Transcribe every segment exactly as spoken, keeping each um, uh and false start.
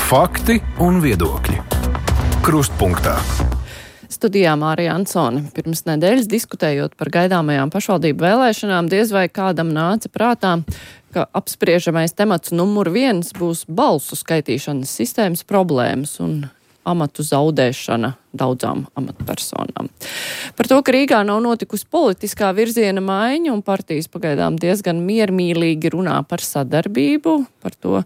Fakti un viedokļi. Krustpunktā. Studijā Mārija Ansone. Pirms nedēļas diskutējot par gaidāmajām pašvaldību vēlēšanām, diez vai kādam nāca prātā, ka apspriežamais temats numur viens būs balsu skaitīšanas sistēmas problēmas un amatu zaudēšana daudzām amatpersonām. Par to, ka Rīgā nav notikusi politiskā virziena maiņa un partijas pagaidām diezgan miermīlīgi runā par sadarbību, par to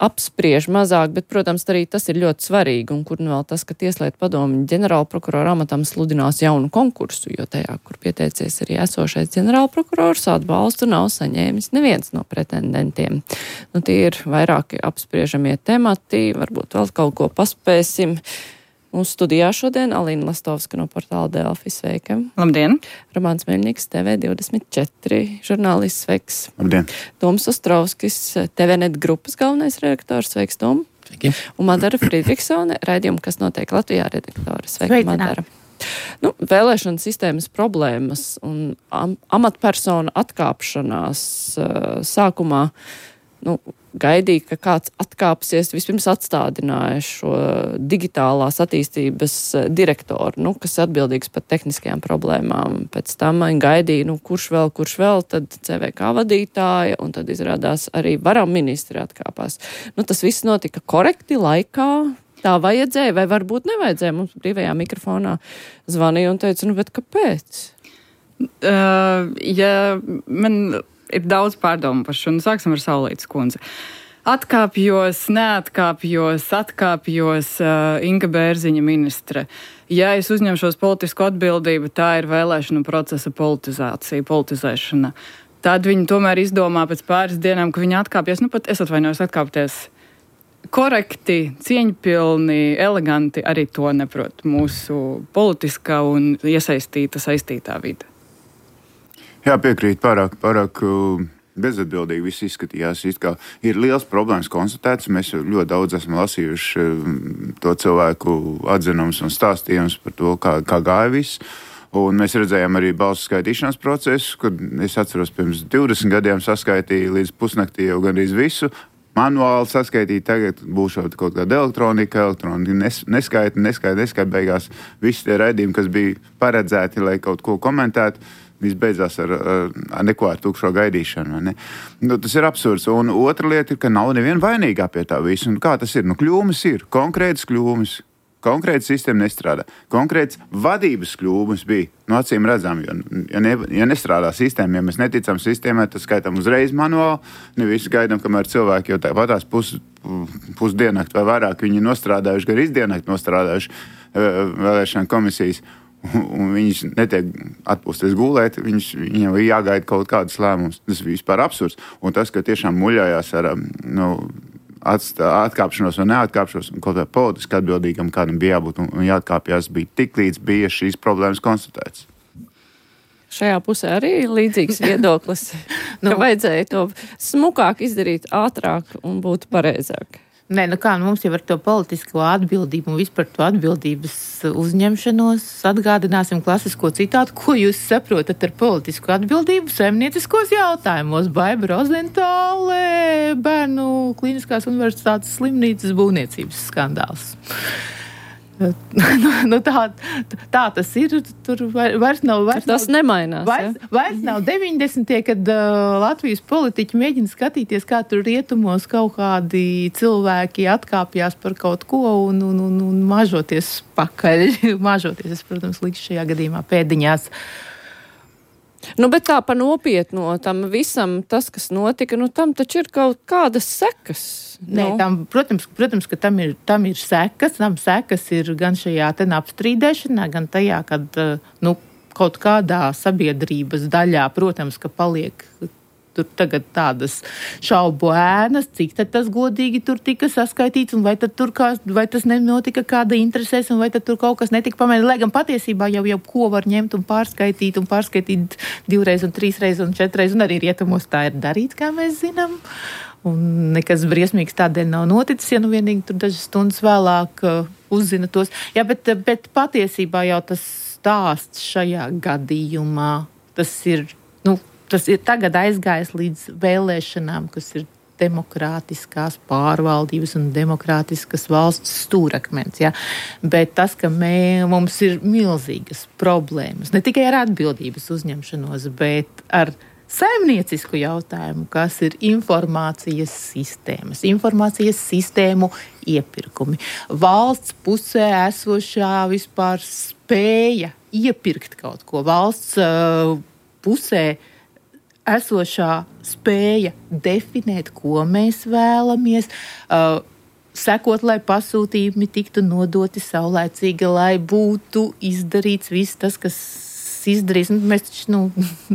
apspriež mazāk, bet, protams, arī tas ir ļoti svarīgi, un kur nu vēl tas, ka Tieslietu padomi ģenerālprokurora amatam sludinās jaunu konkursu, jo tajā, kur pieteicies arī esošais ģenerālprokurors, atbalstu nav saņēmis neviens no pretendentiem. Nu, tie ir vairāki apspriežamie temati, varbūt vēl kaut ko paspēsim. Mūsu studijā šodien Alīna Lastovska no portāla Delfi, sveika. Labdien! Romāns Meļņiks, T V divdesmit četri, žurnālists, sveiks. Labdien! Toms Ostrovskis, T V net grupas galvenais redaktors, sveiks, Tom. Sveiki! Un Madara Friedrichsone, raidījuma, kas notiek Latvijā, redaktore. Sveika, Madara! Nu, vēlēšana sistēmas problēmas un am amatpersonu atkāpšanās uh, sākumā, nu, gaidīja, ka kāds atkāpsies, vispirms atstādināja šo digitālās attīstības direktoru, nu, kas atbildīgs par tehniskajām problēmām. Pēc tam gaidīja, nu, kurš vēl, kurš vēl, tad C V K vadītāja, un tad izrādās arī varam ministri atkāpās. Nu, tas viss notika korekti laikā, tā vajadzēja, vai varbūt nevajadzēja. Mums brīvajā mikrofonā zvanīja un teica, nu, bet kāpēc? Uh, ja man... Ir daudz pārdomu par šo. Nu, sāksim ar Saulītes kundzi. Atkāpjos, neatkāpjos, atkāpjos uh, Inga Bērziņa ministre. Ja es uzņemšos politisko atbildību, tā ir vēlēšanu procesa politizācija, politizēšana. Tad viņi tomēr izdomā pēc pāris dienām, ka viņi atkāpjas, nu pat es atvainojos atkāpties korekti, cieņpilni, eleganti, arī to neprot mūsu politiskā un iesaistīta, saistītā vide. Jā, piekrīt, pārāk, pārāk bezatbildīgi viss izskatījās. It kā ir liels problēmas konstatēts. Mēs ļoti daudz esam lasījuši to cilvēku atzinumus un stāstījumus par to, kā, kā gāja viss. Un mēs redzējām arī balsu skaitīšanas procesu, kad es atceros pirms divdesmit gadiem saskaitīju līdz pusnaktī jau gandrīz visu. Manuāli saskaitīt, tagad būs kaut kāda elektronika, elektronika nes, neskaita, neskaita, neskaita beigās. Visi tie raidījumi, kas bija paredzēti, lai kaut ko komentētu, viss beidzās ar, ar, ar neko ar tukšo gaidīšanu. Ne? Nu, tas ir absurds. Un otra lieta ir, ka nav neviena vainīgā pie tā visu. Un kā tas ir? Nu, kļūmes ir. Konkrētas kļūmes. Konkrēta sistēma nestrādā. Konkrēts vadības kļūmes bija. Nu, acīm redzam, jo, ja, ne, ja nestrādā sistēma, ja mēs neticam sistēmai, tad skaitām uzreiz manuāli. Nevis gaidām, kamēr cilvēki jau tāpatās pus, pusdienakt vai vairāk viņi nostrādājuši, gar izdienakt nostrādājuši vēlēšana komisijas. Un viņš netiek atpūsties gulēt, viņš, viņam ir jāgaida kaut kādas lēmumus. Tas ir vispār absurds. Un tas, ka tiešām muļājās ar nu, atstā, atkāpšanos vai neatkāpšanos, un kaut kā politiski atbildīgam kādam bija jābūt un, un jāatkāpjās, bija tik līdz bija šīs problēmas konstatētas. Šajā pusē arī līdzīgs viedoklis, nu, ka vajadzēja to smukāk izdarīt, ātrāk un būtu pareizāk. Nē, nu kā, nu mums jau ar to politisko atbildību un vispār to atbildības uzņemšanos atgādināsim klasisko citātu, ko jūs saprotat ar politisko atbildību saimnieciskos jautājumos. Baiba Rozentāle, Bērnu Kliniskās universitātes slimnīcas būvniecības skandāls. nu, tā, tā tas ir. Tur vairs nav. Vairs tas nav, nemainās. Vairs, ja? vairs nav deviņdesmitie, kad uh, Latvijas politiķi mēģina skatīties, kā tur rietumos kaut kādi cilvēki atkāpjās par kaut ko un, un, un, un mažoties pakaļ. mažoties, es, protams, likšu šajā gadījumā pēdiņās. Nu, bet tā pa nopietno tam visam, tas, kas notika, nu, tam taču ir kaut kādas sekas. Nē, tam, protams, protams, ka tam ir, tam ir sekas. Tam sekas ir gan šajā ten apstrīdēšanā, gan tajā, kad nu, kaut kādā sabiedrības daļā, protams, ka paliek tur tagad tādas šaubu ēnas, cik tad tas godīgi tur tika saskaitīts, un vai tad tur kā, vai tas nenotika kāda interesēs, un vai tad tur kaut kas netika pamēģināts. Lai gan patiesībā jau jau ko var ņemt un pārskaitīt, un pārskaitīt divreiz, un trīsreiz, un četreiz, un arī rietumos tā ir darīts, kā mēs zinām. Un nekas briesmīgs tādēļ nav noticis, ja nu vienīgi tur dažas stundas vēlāk uh, uzzina tos. Jā, bet, bet patiesībā jau tas stāsts šajā gadījumā, tas ir, nu, tas ir tagad aizgājis līdz vēlēšanām, kas ir demokrātiskās pārvaldības un demokrātiskas valsts stūrakmens. Ja? Bet tas, ka mē, mums ir milzīgas problēmas, ne tikai ar atbildības uzņemšanos, bet ar saimniecisku jautājumu, kas ir informācijas sistēmas, informācijas sistēmu iepirkumi. Valsts pusē esošā vispār spēja iepirkt kaut ko. Valsts uh, pusē esošā spēja definēt, ko mēs vēlamies, uh, sekot, lai pasūtījumi tiktu nodoti saulēcīgi, lai būtu izdarīts viss tas, kas izdarīs. Mēs, nu,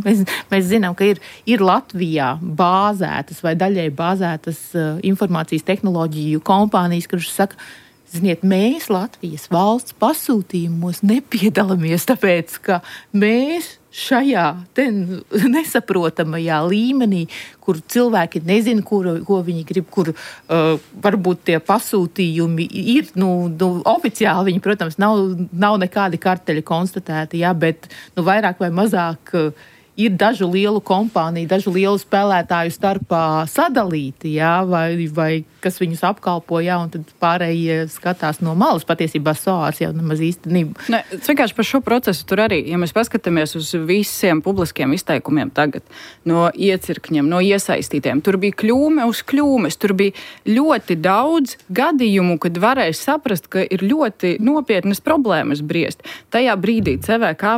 mēs, mēs zinām, ka ir, ir Latvijā bāzētas vai daļai bāzētas uh, informācijas tehnoloģiju kompānijas, kuras saka, ziniet, mēs Latvijas valsts pasūtījumos nepiedalāmies, tāpēc, ka mēs šajā nesaprotamajā līmenī, kur cilvēki nezina, kur, ko viņi grib, kur uh, varbūt tie pasūtījumi ir, nu, nu oficiāli viņi, protams, nav, nav nekādi karteļi konstatēti, jā, bet nu, vairāk vai mazāk uh, ir dažu lielu kompāniju, dažu lielu spēlētāju starpā sadalīti, jā, vai, vai kas viņus apkalpo, jā, un tad pārējie skatās no malas. Patiesībā SOARs jau nemaz īstenību. Ne, vienkārši par šo procesu tur arī, ja mēs paskatāmies uz visiem publiskiem izteikumiem tagad, no iecirkņiem, no iesaistītiem, tur bija kļūme uz kļūmes, tur bija ļoti daudz gadījumu, kad varēja saprast, ka ir ļoti nopietnas problēmas briest. Tajā brīdī C V K,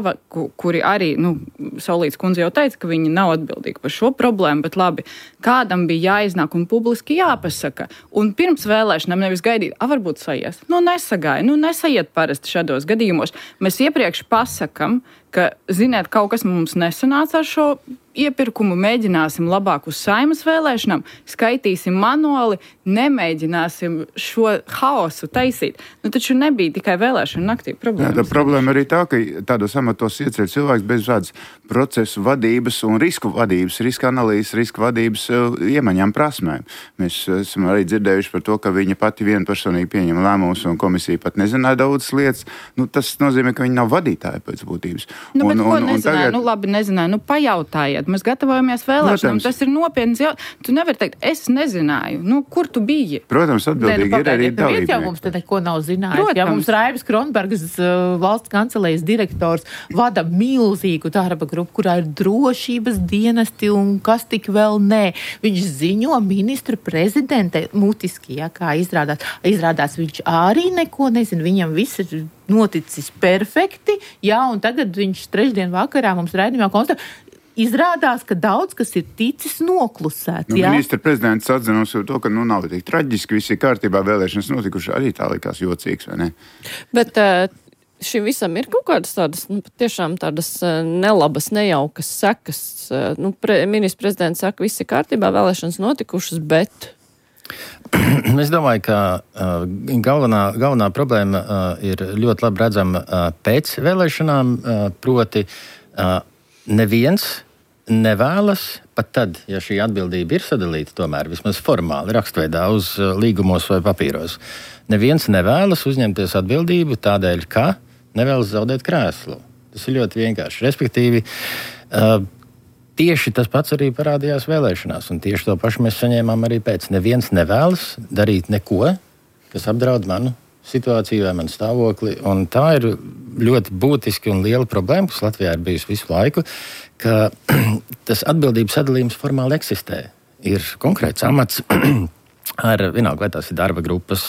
kuri arī, nu, Saulītes kundze jau teica, ka viņi nav atbildīgi par šo problēmu, bet labi, kādam bija jāiznāk un publiski jāpasaka. Un pirms vēlēšanām nevis gaidīt, a, varbūt saies. Nu, nesagāja, nu, nesaiet parasti šādos gadījumos. Mēs iepriekš pasakam, ka, ziniet, kaut kas mums nesanāca ar šo iepirkumu, mēģināsim labāk uz Saeimas vēlēšanām, skaitīsim manuāli, nemēģināsim šo haosu taisīt. Nu, taču nebija tikai vēlēšana naktī problēmas. Jā, tā problēma arī tā, ka tādos amatos ieceļ cilvēks bez tādas procesu vadības un risku vadības, riska analīzes, riska vadības uh, iemaņām prasmēm. Mēs uh, esam arī dzirdējuši par to, ka viņa pati vienpersonīgi pieņem lēmumus un komisija pat nezināja daudzas lietas. Nu, tas nozīmē, ka viņa nav vadītāja pēc būtības. Nu, bet un, ko un, un nezināju? tagad... Nu, labi, nezināju. Nu, pajautājiet. Mēs gatavojamies vēlēšanām. Tas ir nopietns jautājums. Tu nevari teikt, es nezināju. Nu, kur tu biji? Protams, atbildīgi ne, nu, ir arī dalībnieki. Viens jau mums te neko nav zinājis. Jā, mums Raivis Kronbergs, uh, valsts kancelējas direktors, vada milzīgu darba grupu, kurā ir drošības dienesti un kas tik vēl nē. Viņš ziņo ministra prezidente mutiski, ja, kā izrādās. Izrādās viņš arī neko nezina. Viņam viss ir noticis perfekti, jā, un tagad viņš trešdien vakarā mums raidījumā konstatē, izrādās, ka daudz kas ir ticis noklusēts. Nu, ministra prezidents atzinos jau to, ka nu nav tik traģiski, viss ir kārtībā, vēlēšanas notikuši, arī tā likās jocīgs, vai ne? Bet šim visam ir kaut kādas tādas, nu, tiešām tādas nelabas, nejaukas sekas. Nu, pre, ministra prezidents saka, viss ir kārtībā, vēlēšanas notikušas, bet... Es domāju, ka uh, galvenā, galvenā problēma uh, ir ļoti labi redzama uh, pēc vēlēšanām, uh, proti uh, neviens nevēlas, pat tad, ja šī atbildība ir sadalīta tomēr vismaz formāli, rakstveidā uz uh, līgumos vai papīros, neviens nevēlas uzņemties atbildību tādēļ, ka nevēlas zaudēt krēslu. Tas ir ļoti vienkārši. Respektīvi, uh, tieši tas pats arī parādījās vēlēšanās, un tieši to pašu mēs saņēmām arī pēc. Neviens nevēlas darīt neko, kas apdraud manu situāciju vai manu stāvokli, un tā ir ļoti būtiski un liela problēma, kas Latvijā ir bijusi visu laiku, ka tas atbildības sadalījums formāli eksistē. Ir konkrēts amats ar vienalga, vai tās ir darba grupas.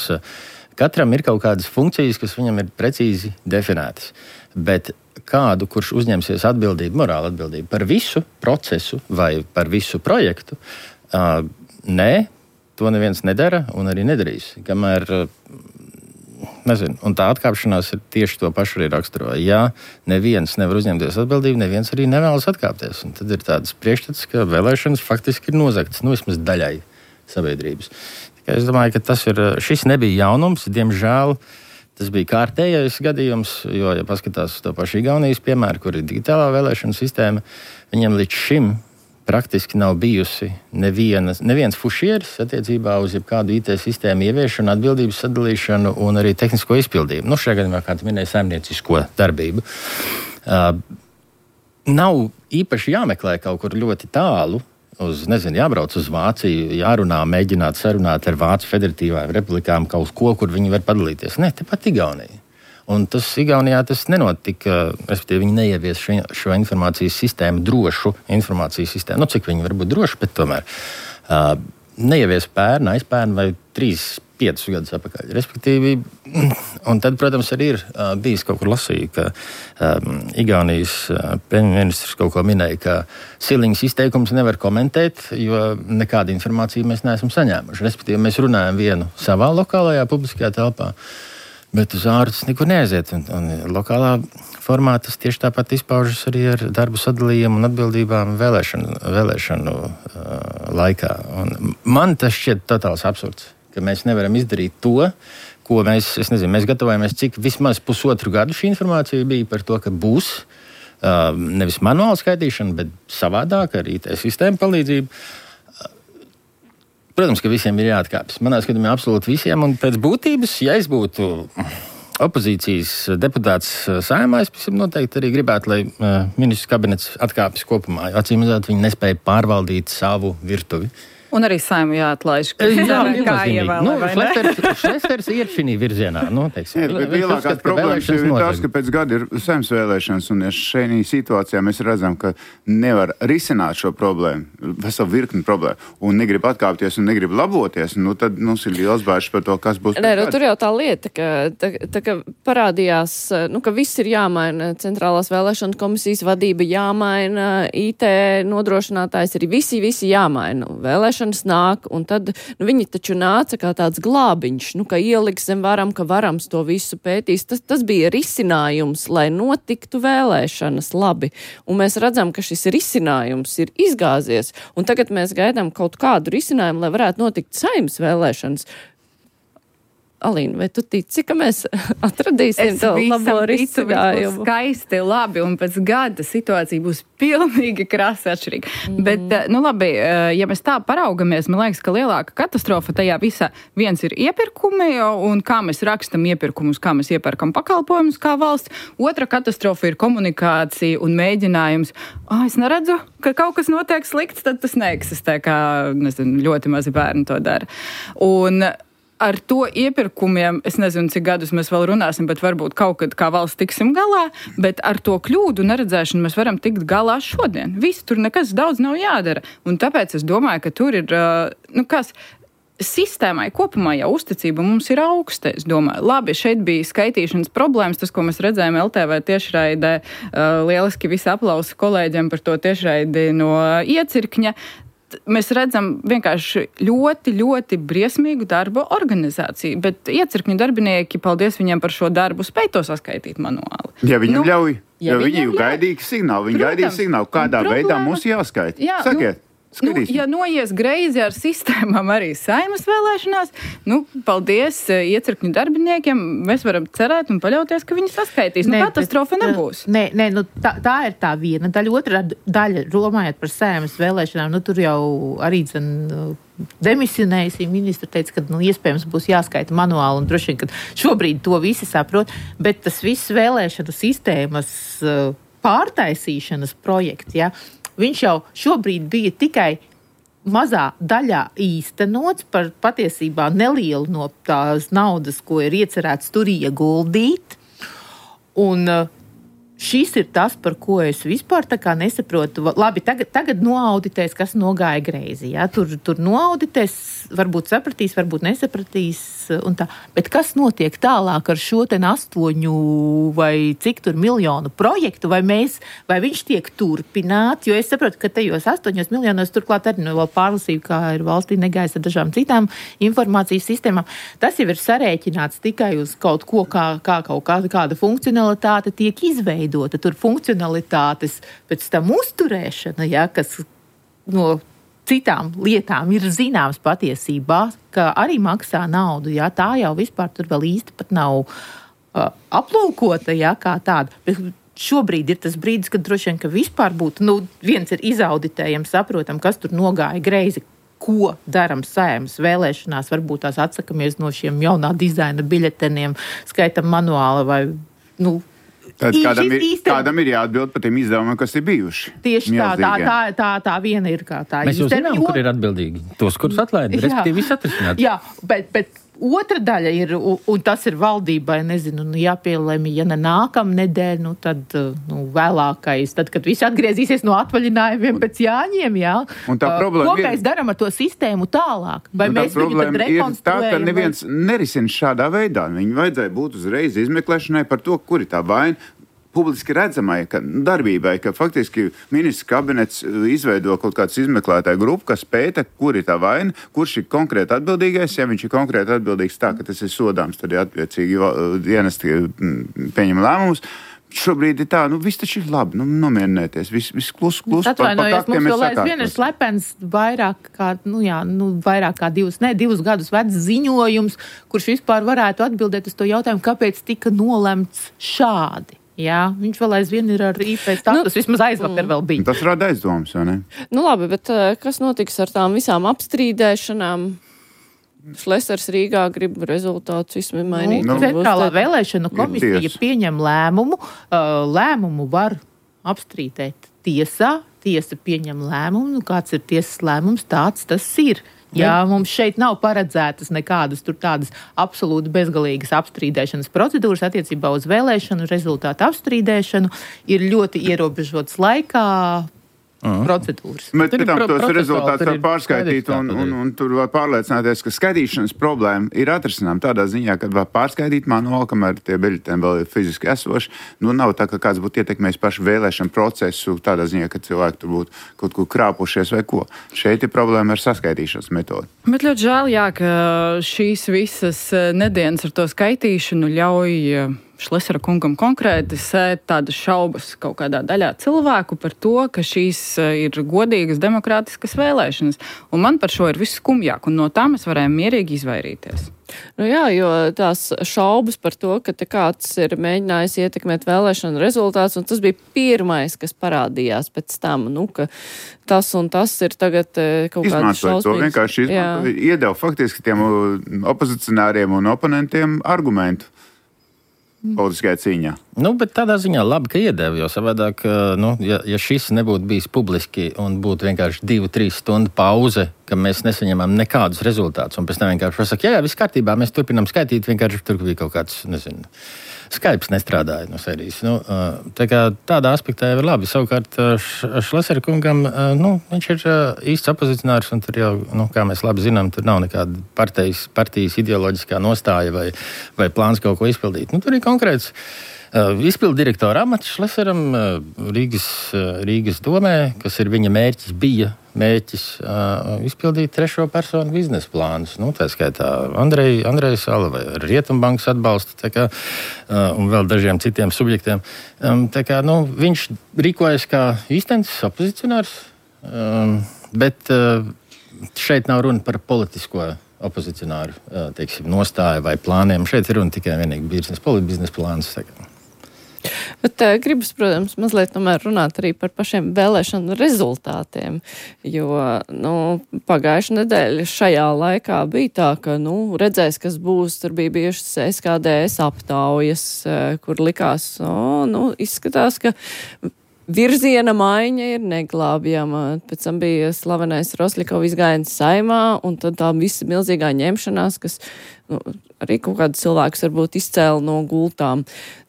Katram ir kaut kādas funkcijas, kas viņam ir precīzi definētas, bet kādu, kurš uzņemsies atbildību, morāla atbildību par visu procesu vai par visu projektu, uh, nē, to neviens nedara un arī nedarīs. Kamēr, uh, nezinu, un tā atkāpšanās ir tieši to pašu arī raksturo. Ja neviens nevar uzņemties atbildību, neviens arī nevēlas atkāpties. Un tad ir tāds priekšstats, ka vēlēšanas faktiski ir nozagtas, nu vismaz daļai sabiedrības. Tikai es domāju, ka tas ir, šis nebija jaunums, diemžēl. Tas bija kārtējais gadījums, jo, ja paskatās uz to pašu Igaunijas piemēru, kur ir digitālā vēlēšana sistēma, viņiem līdz šim praktiski nav bijusi nevienas, neviens fušieris attiecībā uz jebkādu I T sistēmu ieviešanu, atbildības sadalīšanu un arī tehnisko izpildību. Nu, šajā gadījumā, kā tu minēji, saimniecisko darbību. Uh, nav īpaši jāmeklē kaut kur ļoti tālu, uz, nezinu, jābrauc uz Vāciju, jārunā, mēģināt sarunāt ar Vācu federatīvām republikām kaut ko, kur viņi var padalīties. Ne, tepat Igaunija. Un tas Igaunijā tas nenotika, respektīvi viņi neievies šo, šo informācijas sistēmu, drošu informācijas sistēmu. Nu, cik viņi var būt droši, bet tomēr uh, neievies pērn, aizpērn vai trīs, piecus gadus atpakaļ. Respektīvi, un tad, protams, arī ir uh, bijis kaut kur lasīja, ka um, Igaunijas uh, premjerministrs kaut ko minēja, ka Siliņas izteikums nevar komentēt, jo nekādu informāciju mēs neesam saņēmuši. Respektīvi, mēs runājam vienu savā lokālajā publiskajā telpā, bet uz ārpus nekur neaiziet. Un, un lokālā formā tas tieši tāpat izpaužas arī ar darbu sadalījumu un atbildībām vēlēšanu, vēlēšanu uh, laikā. Un man tas šķiet totāls absurds, ka mēs nevaram izdarīt to, ko mēs, es nezinu, mēs gatavojamies, cik vismaz pusotru gadu šī informācija bija par to, ka būs uh, nevis manuāla skaitīšana, bet savādāk ar I T sistēmu palīdzību. Protams, ka visiem ir jāatkāpjas. Manā skatījumā absolūti visiem, un pēc būtības, ja es būtu opozīcijas deputāts Saeimā, es noteikti arī gribētu, lai uh, ministrs kabinets atkāpjas kopumā, jo acīm redzot, viņi nespēja pārvaldīt savu virtuvi. Un arī Saimu jāatlaiž. Jā, kā ievēlē, nu, Šlesters iet šī virzienā. Nu, teiksim, Jā, bet lielākās problēmas ir tas, ka pēc gada ir Saeimas vēlēšanas, un ja šajā situācijā mēs redzam, ka nevar risināt šo problēmu, veselu virkni problēmu, un negrib atkāpties un negrib laboties, nu tad mums ir liels bāžas par to, kas būs. Nē, nu, tur jau tā lieta, ka, tā, tā, ka parādījās, nu, ka viss ir jāmaina, centrālās vēlēšana komisijas vadība jāmaina, I T nodrošinātājs arī visi, visi jāmaina. Vēlēšana nāk, un tad nu, viņi taču nāca kā tāds glābiņš, nu, ka ieliks zem varam, ka varams to visu pētīs. Tas, tas bija risinājums, lai notiktu vēlēšanas labi. Un mēs redzam, ka šis risinājums ir izgāzies, un tagad mēs gaidām kaut kādu risinājumu, lai varētu notikt Saeimas vēlēšanas. Alīna, vai tu tici, ka mēs atradīsim to labo risinājumu? Skaisti, labi, un pēc gada situācija būs pilnīgi krasi atšķirīga. Mm. Bet, nu labi, ja mēs tā paraugamies, man liekas, ka lielāka katastrofa tajā visā viens ir iepirkumi, un kā mēs rakstam iepirkumus, kā mēs iepērkam pakalpojumus kā valsts. Otra katastrofa ir komunikācija un mēģinājums. Ah, es neredzu, ka kaut kas notiek slikts, tad tas neeksistē, kā, nezinu, ļoti mazi bērni to dara. Un ar to iepirkumiem, es nezinu, cik gadus mēs vēl runāsim, bet varbūt kaut kad kā valsts tiksim galā, bet ar to kļūdu neredzēšanu mēs varam tikt galā šodien. Viss, tur nekas daudz nav jādara. Un tāpēc es domāju, ka tur ir, nu kas, sistēmai kopumā jau uzticība mums ir augsta, es domāju. Labi, šeit bija skaitīšanas problēmas, tas, ko mēs redzējām L T V tiešraidē, lieliski visi aplausi kolēģiem par to tiešraidi no Iecirkņa. Mēs redzam vienkārši ļoti, ļoti briesmīgu darbu organizāciju, bet Iecirkņu darbinieki, paldies viņiem par šo darbu, spēj to saskaitīt manuāli. Ja viņam nu, ļauj, ja jo viņi viņam gaidīja signālu, viņi gaidīja signālu, kādā problēma, veidā mums jāskaita. Jā, Sakiet. Nu, Nu, ja noies greizi ar sistēmām arī Saeimas vēlēšanās, nu, paldies Iecirkņu darbiniekiem, mēs varam cerēt un paļauties, ka viņi saskaitīs. Nu, Nē, katastrofa bet, nebūs. Nē, nē nu, tā, tā ir tā viena daļa. Otra daļa, romājot par Saeimas vēlēšanām, nu, tur jau arī dzen, demisionējusī ministra teica, ka nu, iespējams būs jāskaita manuāli, un droši vien, ka šobrīd to visi saprot, bet tas viss vēlēšanu sistēmas pārtaisīšanas projekts, ja, viņš jau šobrīd bija tikai mazā daļā īstenots par patiesībā nelielu no tās naudas, ko ir iecerēts tur ieguldīt. Un šis ir tas, par ko es vispār tā kā nesaprotu. Labi, tagad, tagad noauditēs, kas nogāja greizi. Ja? Tur, tur noauditēs, varbūt sapratīs, varbūt nesapratīs. Un tā. Bet kas notiek tālāk ar šo ten astoņu vai cik tur miljonu projektu? Vai, mēs, vai viņš tiek turpināts? Jo es saprotu, ka tajos astoņos miljonos turklāt arī no vēl pārlasību, kā ir valstī negājis ar dažām citām informācijas sistēmām. Tas jau ir sarēķināts tikai uz kaut ko, kā, kā kaut kāda, kāda funkcionalitāte tiek izveidota. Tur funkcionalitātes pēc tam uzturēšana, ja, kas no citām lietām ir zināms patiesībā, ka arī maksā naudu, ja, tā jau vispār tur vēl īsti pat nav uh, aplūkota, ja, kā tāda. Bet šobrīd ir tas brīdis, kad droši vien, ka vispār būtu, nu, viens ir izauditējam, saprotam, kas tur nogāja greizi, ko daram Saeimas vēlēšanās, varbūt tās atsakamies no šiem jaunā dizaina biļeteniem, skaitam manuāli vai, nu, Tad kādam ir, īsten... kādam ir jāatbild par tiem izdevumiem, kas ir bijuši. Tieši tā, tā, tā, tā, tā viena ir kā tā. Mēs jau zinām, jo... kur ir atbildīgi. Tos, kurus atlaida, respektīvi viss atrisināt. Jā, bet, bet otra daļa ir, un, un tas ir valdībai, nezinu, nu, jāpielēmi, ja ne nākam nedēļ, nu tad nu, vēlākais, tad, kad visi atgriezīsies no atvaļinājumiem pēc Jāņiem, jā. Un tā problēma Ko ir... mēs darām ar to sistēmu tālāk? Vai mēs viņu tad rekonstruējam? Tā, ka neviens vai... nerisina šādā veidā. Viņu vajadzēja būt uzreiz izmeklēšanai par to, kur ir tā vaina. Publiski redzamai ka, darbībai, ka faktiski ministrs kabinets izveido kaut kāds izmeklētāju grupu, kas pēta, kur ir tā vaina, kurš ir konkrēti atbildīgais. Ja viņš ir konkrēti atbildīgs tā, ka tas ir sodāms, tad ir attiecīgi dienesti pieņem lēmumus. Šobrīd ir tā, nu viss taču ir labi, nu nomierinieties, viss vis klus, klus. Atvainojos, mums vēl aizvien ir slepens vairāk kā, nu jā, nu vairāk kā divus, ne, divus gadus vecs ziņojums, kurš vispār varētu atbildēt uz to jautājumu, kāpēc tika nolemts šādi. Jā, viņš vēl aizvien ir ar I P status, nu, vismaz aizvakar vēl bija. Tas rada aizdomas, vai ne? Nu labi, bet kas notiks ar tām visām apstrīdēšanām? Šlesers Rīgā grib rezultātus izmainīt. Nu, Centrālā vēlēšana komisija pieņem lēmumu. Lēmumu var apstrīdēt tiesā. Tiesa pieņem lēmumu. Nu, kāds ir tiesas lēmums, tāds tas ir. Jā, mums šeit nav paredzētas nekādas tur tādas absolūti bezgalīgas apstrīdēšanas procedūras attiecībā uz vēlēšanu rezultātu apstrīdēšanu. Ir ļoti ierobežots laikā uh-huh. procedūras. Bet pēc tam tos rezultātus var pārskaitīt un, un, un tur var pārliecināties, ka skaitīšanas problēma ir atrisinām tādā ziņā, ka var pārskaitīt manuāli, kamēr tie biļetēm vēl ir fiziski esoši. Nu, nav tā, ka kāds būtu ietekmējis pašu vēlēšanu procesu tādā ziņā, ka cilvēki tur būtu kaut kur krāpušies vai ko. Šeit ir problēma ar saskaitīšanas metodi. Bet ļoti žēl, jā, ka šīs visas nedēļas ar to skaitīšanu ļauj Šlesera kungam konkrēti sēt tādas šaubas kaut kādā daļā cilvēku par to, ka šīs ir godīgas, demokrātiskas vēlēšanas. Un man par šo ir viss skumjāk, un no tā mēs varējām mierīgi izvairīties. Nu jā, jo tās šaubas par to, ka te kāds ir mēģinājis ietekmēt vēlēšanu rezultātus, un tas bija pirmais, kas parādījās pēc tam, nu, ka tas un tas ir tagad kaut kāds šausmīgs. To vienkārši izmanto, iedeva faktiski tiem opozicionāriem un oponentiem argumentu politiskajā cīņā. Nu, bet tādā ziņā labi, ka iedeva, jo savādāk, nu, ja, ja šis nebūtu bijis publiski un būtu vienkārši divu, trīs stundu pauze, ka mēs nesaņemam nekādus rezultātus, un pēc tam vienkārši pasaka, jā, jā, viss kārtībā, mēs turpinām skaitīt, vienkārši tur bija kaut kāds, nezinu, Skypes nestrādāja no serijas. Nu, tā kā tādā aspektā jau ir labi. Savukārt Šlesera kungam, nu, viņš ir īsts opozicionārs, un tur jau, nu, kā mēs labi zinām, tur nav nekāda partijas, partijas ideoloģiskā nostāja vai, vai plāns kaut ko izpildīt. Nu, tur ir konkrēts uh, izpildu direktora amats Šleseram uh, Rīgas, uh, Rīgas domē, kas ir viņa mērķis bija. Mērķis uh, izpildīt trešo personu biznesa plānus. Nu, tā skaitā Andreja Andrej Sala vai Rietumbankas atbalstu tā kā, uh, un vēl dažiem citiem subjektiem. Um, tā kā, nu, viņš rīkojas kā īstenis opozicionārs, um, bet uh, šeit nav runa par politisko opozicionāru uh, teiksim, nostāju vai plāniem. Šeit ir runa tikai vienīgi biznesa, politbiznesa plāns. Tā kā. Bet uh, gribas, protams, mazliet tomēr runāt arī par pašiem vēlēšanu rezultātiem, jo, nu, pagājušā nedēļa šajā laikā bija tā, ka, nu, redzēs, kas būs, tur bija bijušas S K D S aptaujas, uh, kur likās, o, nu, izskatās, ka virziena maiņa ir neglābjama. Pēc tam bija slavenais Rosļikova izgājiens Saimā, un tad tā visa milzīgā ņemšanās, kas, nu, arī kaut kādus cilvēkus varbūt izcēla no gultām.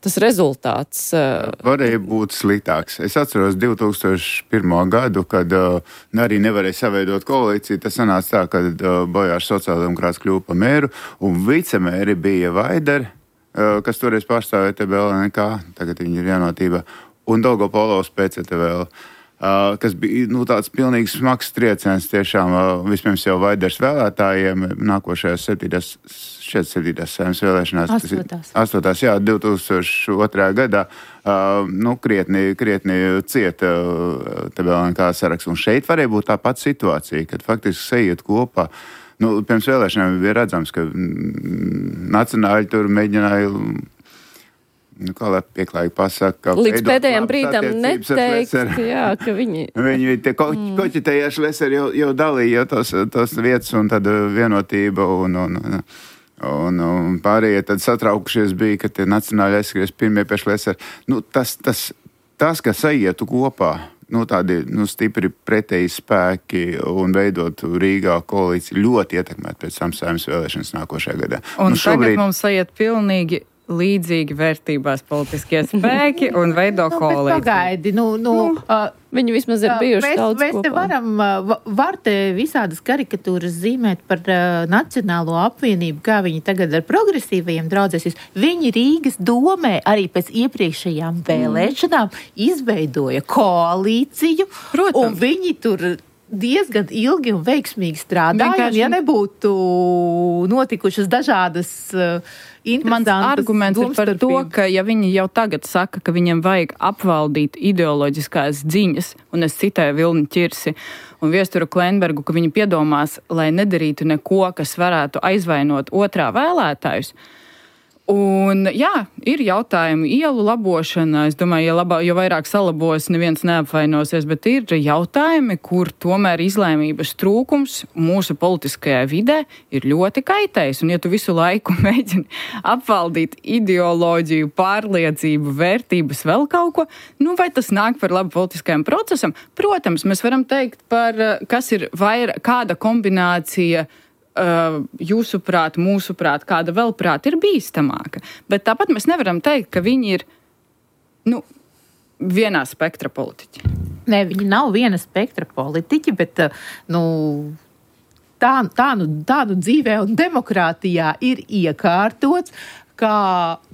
Tas rezultāts uh, varēja būt sliktāks. Es atceros divi tūkstoši pirmo gadu, kad uh, arī nevarēja saveidot koalīciju. Tas sanāca tā, kad uh, Bojārs sociāldemokrāts kļuva par mēru, un vicemēri bija Vaideri, uh, kas toreiz pārstāvēja T B L N K, tagad viņi ir vienotībā, un Dolgopolovs P C T V L. Uh, kas bija nu, tāds pilnīgi smags trieciens tiešām uh, vispirms jau Vaiders vēlētājiem nākošajās septītās, šeit septītās saimnes vēlēšanās. Astotās. Astotās, jā, divi tūkstoši otrajā gadā uh, nu, krietni, krietni cieta uh, T B L N K saraksts. Un šeit varēja būt tā pati situācija, kad faktiski sajiet kopā. Nu, pirms vēlēšanām bija redzams, ka mm, nacionāļi tur mēģināja nu, kā lai pieklājīgi pasaka, līdz pēdējiem brīdam neteikt, jā, ka viņi... Viņi te ko, mm. koķitēja Šleseri jau, jau dalīja tos, tos vietas un tad vienotība un, un, un Un, un pārējie tad satraukušies bija, ka tie nacionāļi aizskries pirmie pēšlies ar, nu, tas, tas, tas, kas saietu kopā, nu, tādi nu, stipri pretēji spēki un veidot Rīgā koalīciju ļoti ietekmēt pēc tam Saeimas vēlēšanas nākošajā gadā. Un nu, šobrīd... tagad mums aiziet pilnīgi līdzīgi vērtībās politiskie spēki un veido Nu, bet koalīciju. pagaidi, nu, nu, uh, Viņi vismaz ir bijuši mēs, daudz mēs te kopā. varam, uh, var te visādas karikatūras zīmēt par uh, Nacionālo apvienību, kā viņi tagad ar progresīvajiem draudzēsies. Viņi Rīgas domē arī pēc iepriekšējām vēlēšanām izveidoja koalīciju, Protams. un viņi tur diezgan ilgi un veiksmīgi strādāja, Vienkārši- un ja nebūtu notikušas dažādas uh, Mans interesantas arguments ir par to, domstarpības. ka ja viņi jau tagad saka, ka viņiem vajag apvaldīt ideoloģiskās dziņas, un es citēju Vilni Ķirsi un Viesturu Klenbergu, ka viņi piedomās, lai nedarītu neko, kas varētu aizvainot otrā vēlētājus. Un, jā, ir jautājumi, ielu labošana. Es domāju, ja, labā, jo vairāk salabos, neviens neapvainosies, bet ir jautājumi, kur tomēr izlēmības trūkums mūsu politiskajā vidē ir ļoti kaitējis. Un, ja tu visu laiku mēģini apvaldīt ideoloģiju, pārliecību, vērtības, vēl kaut ko, nu, vai tas nāk par labu politiskajam procesam? Protams, mēs varam teikt par, kas ir vairāk, kāda kombinācija Uh, jūsuprāt, mūsuprāt, kāda vēl prāt ir bīstamāka. Bet tāpat mēs nevaram teikt, ka viņi ir nu, vienā spektra politiķi. Nē, viņi nav viena spektra politiķi, bet uh, nu, tā, tā, nu, tā nu dzīvē un demokrātijā ir iekārtots, ka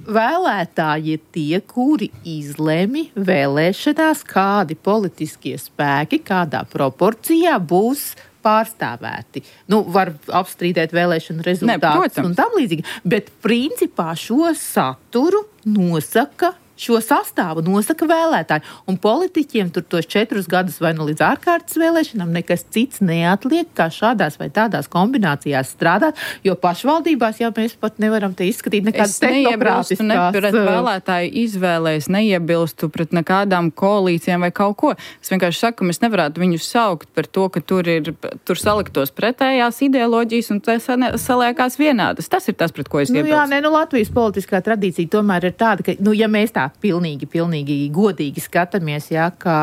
vēlētāji ir tie, kuri izlemj vēlēšanās, kādi politiskie spēki, kādā proporcijā būs pārstāvēti. Nu, var apstrīdēt vēlēšanu rezultātus un tam līdzīgi, bet principā šo saturu nosaka, šo sastāvu nosaka vēlētāji. Un politiķiem tur tos četrus gadus vai nu līdz ārkārtas vēlēšanām nekas cits neatliek, kā šādās vai tādās kombinācijās strādāt, jo pašvaldībās jau mēs pat nevaram te izskatīt nekādas tehnokratiskās. Es neiebilstu ne pret uh, vēlētāju izvēlēs, neiebilstu pret nekādām koalīcijām vai kaut ko. Es vienkārši saku, ka mēs nevarētu viņus saukt par to, ka tur ir, tur saliktos pretējās ideoloģijas un tas saliekās vienādas. Tas ir tas, pret ko es nu, iebilstu. Jā, ne, nu Latvijas politiskā tradīcija tomēr ir tāda, ka, nu, ja mēs tā pilnīgi, pilnīgi godīgi skatāmies, jā, ka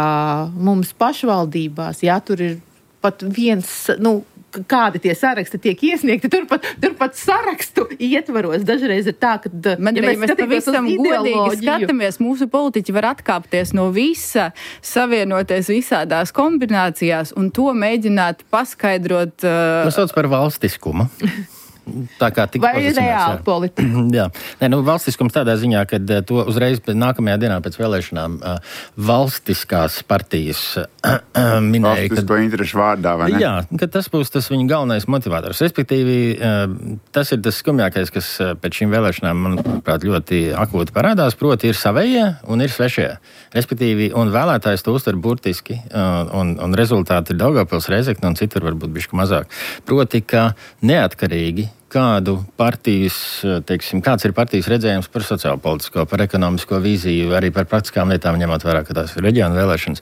mums pašvaldībās, jā, tur ir pat viens, nu, kādi tie saraksti tiek iesniegti, turpat, turpat sarakstu ietvaros. Dažreiz ir tā, ka, Man, ja mēs, mēs pavisam godīgi skatāmies, mūsu politiķi var atkāpties no visa, savienoties visādās kombinācijās un to mēģināt paskaidrot. Uh, Tas sauc par valstiskumu. Tā kā tik vai reāli politika? Jā, Nē, nu, valstiskums tādā ziņā, ka to uzreiz nākamajā dienā pēc vēlēšanām uh, valstiskās partijas uh, minēja. Valstisko interešu vārdā, vai ne? Jā, ka tas būs tas viņa galvenais motivators. Respektīvi, uh, tas ir tas skumjākais, kas uh, pēc šīm vēlēšanām, manuprāt, ļoti akūti parādās, proti ir savējie un ir svešie. Respektīvi, un vēlētājs to uztver burtiski, uh, un, un rezultāti ir Daugavpils, Reizekne un citur varbūt bišķi mazāk. Proti, ka neatkarīgi kādu partijas, teiksim, kāds ir partijas redzējums par sociālpolitisko, par ekonomisko vīziju, arī par praktiskām lietām, ņemot vērā, ka tās ir reģiona vēlēšanas.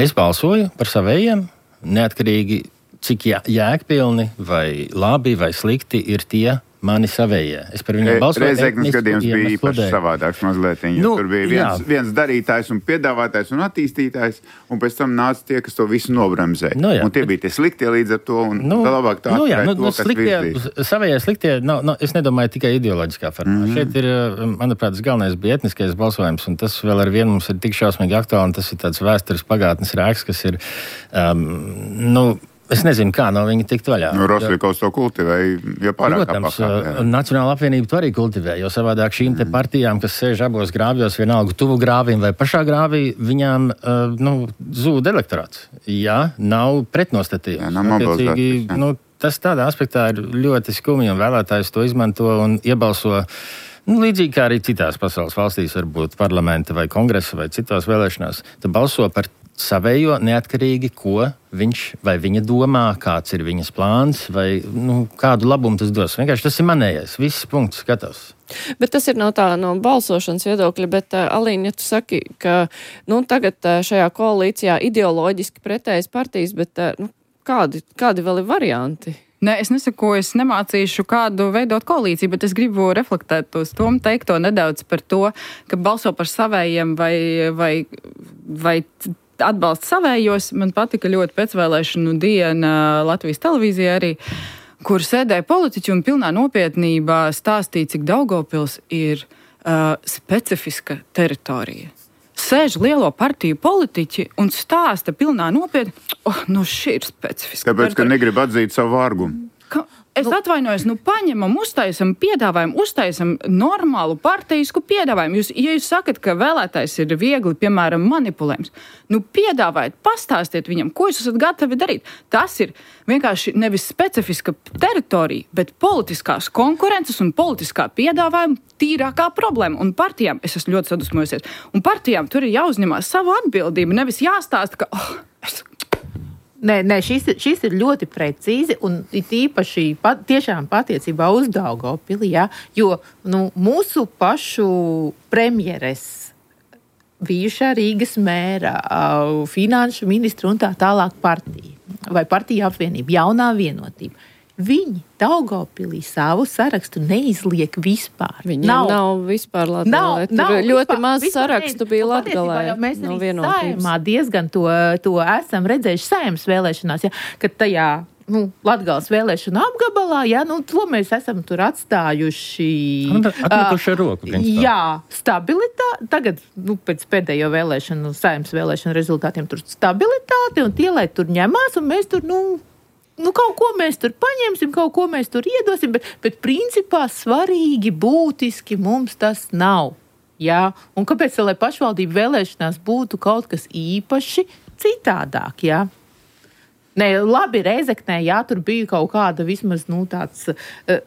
Es balsoju par savējiem, neatkarīgi, cik jā, jēgpilni vai labi vai slikti ir tie mani savējie. Es par viņiem balsoju. Reizeknes gadījums bija īpaši savādāks mazliet. Nu, tur bija viens, viens darītājs un piedāvātājs un attīstītājs, un pēc tam nāca tie, kas to visu nobremzē. Nu, un tie bija tie sliktie līdz ar to, un nu, labāk tā nu, jā, nu, to, nu, kas sliktie, virzīs. Savējie sliktie, nav, nav, es nedomāju tikai ideoloģiskā formā. Mm-hmm. Šeit ir, manuprāt, tas galvenais bija etniskais balsojums, un tas vēl ar vienu mums ir tik šausmīgi aktuāli, un tas ir tāds vēstures pagātnes rēks, kas ir, um, nu, es nezinu, kā no viņa tikt vaļā. Nu, Rostovs to kultivēja, jo pārāk Protams, apakā. Nacionāla apvienība to arī kultivē, jo savādāk šīm te partijām, kas sēž abos grāvjos, vienalga tuvu grāvim vai pašā grāvī, viņām uh, nu, zūd elektorāts. Jā, nav pretnostatījums. Jā, nav mobilizācijas, jā. Nu, tas tādā aspektā ir ļoti skumji, un vēlētājs to izmanto un iebalso. Nu, līdzīgi kā arī citās pasaules valstīs, varbūt parlamenta vai kongresa vai citās vēlēšanās, tad balso par savējo neatkarīgi, ko viņš vai viņa domā, kāds ir viņas plāns vai nu, kādu labumu tas dos. Vienkārši tas ir manējais. Viss punkts skatos. Bet tas ir no tā no balsošanas viedokļa, bet uh, Alīna, ja tu saki, ka nu, tagad uh, šajā koalīcijā ideoloģiski pretējas partijas, bet uh, nu, kādi, kādi vēl ir varianti? Nē, es nesaku, es nemācīšu kādu veidot koalīciju, bet es gribu reflektēt uz to, teikto nedaudz par to, ka balso par savējiem vai, vai, vai atbalsta savējos. Man patika ļoti pēcvēlēšanu diena Latvijas televīzijā arī, kur sēdēja politiķi un pilnā nopietnībā stāstīja, cik Daugavpils ir uh, specifiska teritorija. Sēž lielo partiju politiķi un stāsta pilnā nopietni, oh, nu šī ir specifiska. Tāpēc, ka negrib atzīt savu vārgumu. Ka, es nu, atvainojos, nu paņemam, uztaisam piedāvājumu, uztaisam normālu partijisku piedāvājumu. Jūs, ja jūs sakat, ka vēlētājs ir viegli, piemēram, manipulējums, nu piedāvājiet, pastāstiet viņam, ko jūs esat gatavi darīt. Tas ir vienkārši nevis specifiska teritorija, bet politiskās konkurences un politiskā piedāvājuma tīrākā problēma. Un partijām, es esmu ļoti sadusmojusies, un partijām tur ir jāuzņemās savu atbildību, nevis jāstāsta, ka, oh, es... Nē, nē šis, šis ir ļoti precīzi un it īpaši pat, tiešām patiecībā uz Daugavpili, ja, jo nu, mūsu pašu premjeres, bijušā Rīgas mēra, finanšu ministra un tā tālāk partija, vai partija apvienība, jaunā vienotība. Viņi Daugavpilī savu sarakstu neizliek vispār. Viņiem nav, nav vispār Latgalē. Tur nav, ļoti vispār, maz vispār sarakstu bija Latgalē. Mēs no arī Saeimā diezgan to, to esam redzējuši Saeimas vēlēšanās, ja, kad tajā nu, Latgales vēlēšanu apgabalā, ja, nu, to mēs esam tur atstājuši. Atmetuši ar roku. Principā. Jā, stabilitāte. Tagad, nu, pēc pēdējo vēlēšanu, Saeimas vēlēšanu rezultātiem tur stabilitāte un tie, lai tur ņemās un mēs tur, nu, Nu, kaut ko mēs tur paņemsim, kaut ko mēs tur iedosim, bet, bet principā svarīgi, būtiski mums tas nav. Jā? Un kāpēc, lai pašvaldību vēlēšanās būtu kaut kas īpaši citādāk? Jā? Ne, labi, Rēzeknē, jā, tur bija kaut kāda vismaz, nu, tāds,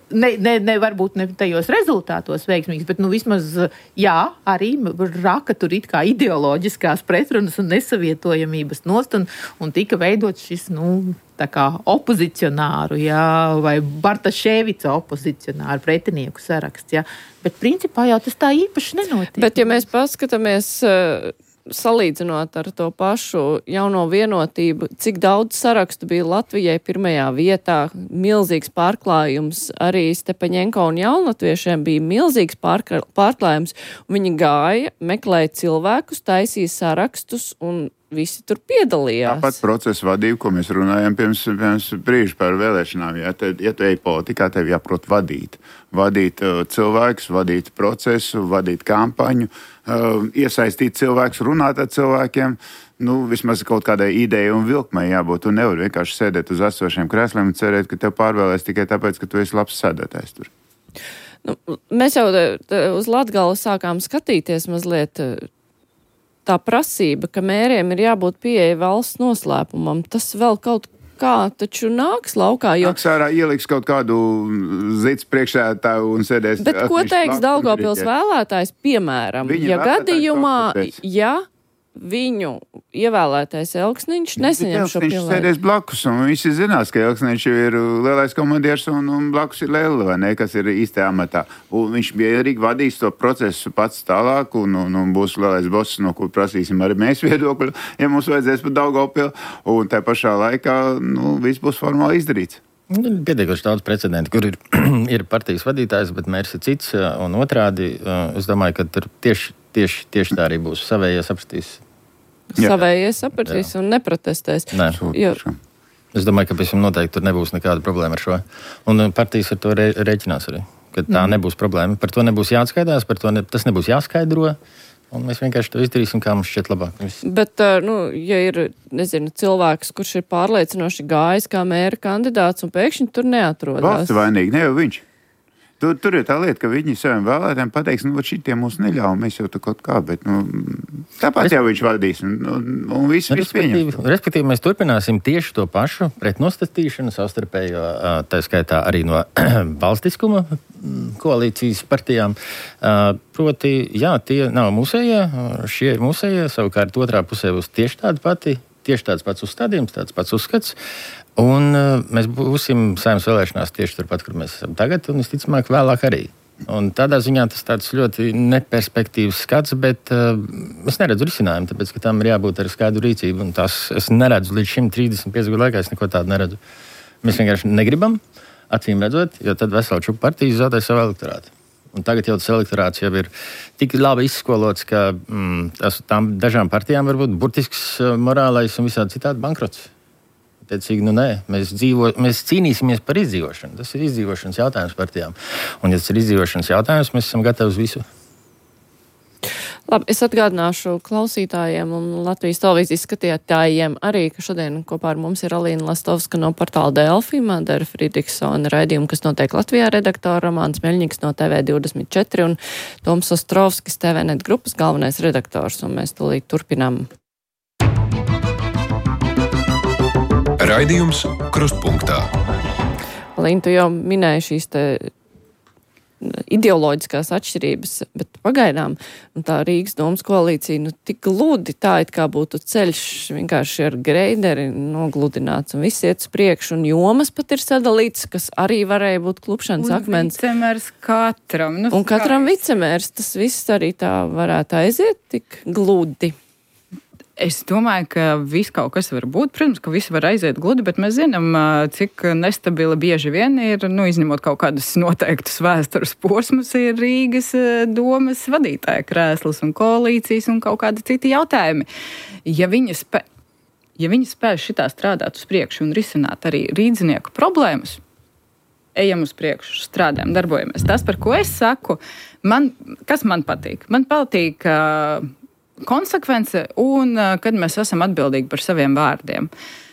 ne, ne, ne varbūt ne tajos rezultātos veiksmīgs, bet, nu, vismaz, jā, arī raka tur it kā ideoloģiskās pretrunas un nesavietojamības nost, un, un tika veidot šis, nu, tā kā opozicionāru, jā, vai Bartaševica opozicionāru pretinieku saraksts, jā. Bet principā jau tas tā īpaši nenotiek. Bet, ja mēs paskatāmies, salīdzinot ar to pašu jauno vienotību, cik daudz sarakstu bija Latvijai pirmajā vietā, milzīgs pārklājums, arī Stepaņenko un jaunlatviešiem bija milzīgs pārklājums, un viņi gāja, meklēja cilvēkus, taisīja sarakstus un visi tur piedalījās. Tāpat procesa vadība, ko mēs runājam pirms, pirms brīža par vēlēšanām. Ja, te, ja tu ej politikā, tev jāprot vadīt. Vadīt uh, cilvēkus, vadīt procesu, vadīt kampaņu, uh, iesaistīt cilvēkus, runāt ar cilvēkiem. Nu, vismaz kaut kādai idejai un vilkmai jābūt. Tu nevari vienkārši sēdēt uz esošiem krēsliem un cerēt, ka tev pārvēlēs tikai tāpēc, ka tu esi labs sēdētājs tur. Nu, mēs jau te, te, uz Latgali sākām skatīties mazliet tā prasība, ka mēriem ir jābūt pieeja valsts noslēpumam. Tas vēl kaut kā taču nāks laukā, jo... Nāks ārā ieliks kaut kādu zits priekšsēdētāju un sēdēs... Bet ko teiks Daugavpils vēlētājs, piemēram, Viņa ja gadījumā, ja viņu ievēlētais Elksniņš nesaņem šo pilnvaru? Elksniņš sēdēs blakus, un visi zinās, ka Elksniņš ir lielais komandieris un, un blakus ir Lēle, vai ne, kas ir īstajā amatā. Un viņš mierīgi vadīs to procesu pats tālāk, un, un, un būs lielais boss, no kur prasīsim arī mēs viedokļu, ja mums vajadzēs pat Daugavpilu, un tā pašā laikā, nu, viss būs formāli izdarīts. Pietiekoši daudz precedentu, kur ir, ir partijas vadītājs, bet mērs ir cits, un otrādi, es domāju, ka tur tieši, tieši, tieši tā arī būs savējie sapratīs. Savējie sapratīs un neprotestēs. Nē. Jo... Es domāju, ka pēc tam noteikti tur nebūs nekāda problēma ar šo. Un partijas ar to re, reķinās arī, ka tā mm. nebūs problēma. Par to nebūs jāatskaidās, par to ne, tas nebūs jāskaidro. Un mēs vienkārši to izdarīsim, kā mums šķiet labāk. Viss. Bet, nu, ja ir, nezinu, cilvēks, kurš ir pārliecinoši gājis kā mēra kandidāts un pēkšņi tur neatrodās. Valsts vainīgi, ne jau viņš. Tur, tur ir tā lieta, ka viņi saviem vēlētājiem pateiks, nu, šitie mūs neļauj, mēs jau tā kaut kā, bet, nu, tāpat jau viņš vadīs, un, un, un viss, viss pieņem. Respektīvi, mēs turpināsim tieši to pašu pretnostatīšanu, savstarpējo, tā skaitā arī no valstiskuma koalīcijas partijām. Proti, jā, tie nav mūsējie, šie ir mūsējie, savukārt otrā pusē būs tieši tāda pati, tieši tāds pats uzstādījums, tāds pats uzskats. Un uh, mēs būsim Saeimas vēlēšanās tieši turpat, kur mēs esam tagad, un visticamāk vēlāk arī. Un tādā ziņā tas tāds ļoti neperspektīvs skats, bet uh, es neredzu risinājumu, tāpēc, ka tam ir jābūt ar skaidru rīcību, un tās es neredzu līdz šim trīsdesmit piecu gadu laikā, es neko tādu neredzu. Mēs vienkārši negribam, acīm redzot, jo tad vesela čupa partijas zaudē savu elektorātu. Un tagad jau tas elektorāts jau ir tik labi izskolots, ka mm, tas, tām dažām partijām var būt burtisks morālais un visādi citādi bankrots. Teicīgi, nu nē, mēs, dzīvo, mēs cīnīsimies par izdzīvošanu. Tas ir izdzīvošanas jautājums partijām. Un, ja tas ir izdzīvošanas jautājums, mēs esam gatavi uz visu. Labi, es atgādināšu klausītājiem un Latvijas televīzijas skatītājiem arī, ka šodien kopā ar mums ir Alīna Lastovska no portāla Delfi, Madara Fridriksona raidījuma, kas notiek Latvijā, redaktora Romāns Meļņiks no T V divdesmit četri un Toms Ostrovskis, T V net grupas galvenais redaktors, un mēs tūlīt turpinām. Raidījums Krustpunktā. Alīna, tu jau minēji šīs te ideoloģiskās atšķirības, bet pagaidām tā Rīgas domas koalīcija nu, tik gludi, tā it kā būtu ceļš vienkārši ar greideri nogludināts un viss iet uz priekšu, un jomas pat ir sadalīts, kas arī varēja būt klupšanas un akmens. Un vicemērs katram. Nu, un katram vicemērs, tas viss arī tā varētu aiziet tik gludi. Es domāju, ka viss kaut kas var būt. Protams, ka visi var aiziet gludi, bet mēs zinām, cik nestabila bieži vien ir, nu, izņemot kaut kādus noteiktus vēstures posmus, ir Rīgas domas vadītāja krēslas un koalīcijas un kaut kādi citi jautājumi. Ja viņi spē, ja viņi spēj šitā strādāt uz priekšu un risināt arī rīdzinieku problēmas, ejam uz priekšu, strādājam, darbojamies. Tas, par ko es saku, man, kas man patīk? Man patīk uh, konsekvence un uh, kad mēs esam atbildīgi par saviem vārdiem.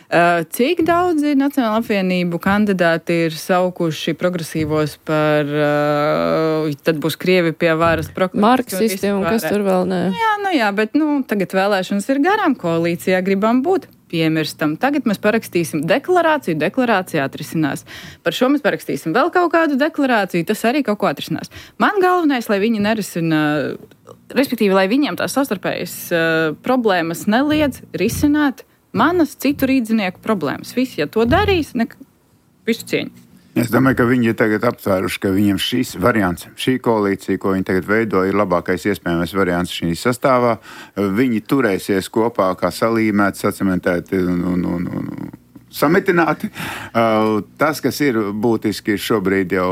Uh, cik daudzi Nacionāla apvienību kandidāti ir saukuši progresīvos par, uh, tad būs Krievi pie varas marksisti un kas tur vēl nē. Nu jā, nu jā, bet nu, tagad vēlēšanas ir garām, koalīcijā gribam būt. Piemirstam. Tagad mēs parakstīsim deklarāciju, deklarācija atrisinās. Par šo mēs parakstīsim vēl kaut kādu deklarāciju, tas arī kaut ko atrisinās. Man galvenais, lai viņi nerisina, respektīvi, lai viņiem tās savstarpējas uh, problēmas neliedz risināt manas citu rīdzinieku problēmas. Visi, ja to darīs, ne, visu cieņu. Es domāju, ka viņi ir tagad aptvēruši, ka viņiem šis variants, šī koalīcija, ko viņi tagad veido, ir labākais iespējamais variants šī sastāvā. Viņi turēsies kopā kā salīmēti, sacementēti un, un, un, un samitināti. Tas, kas ir būtiski šobrīd jau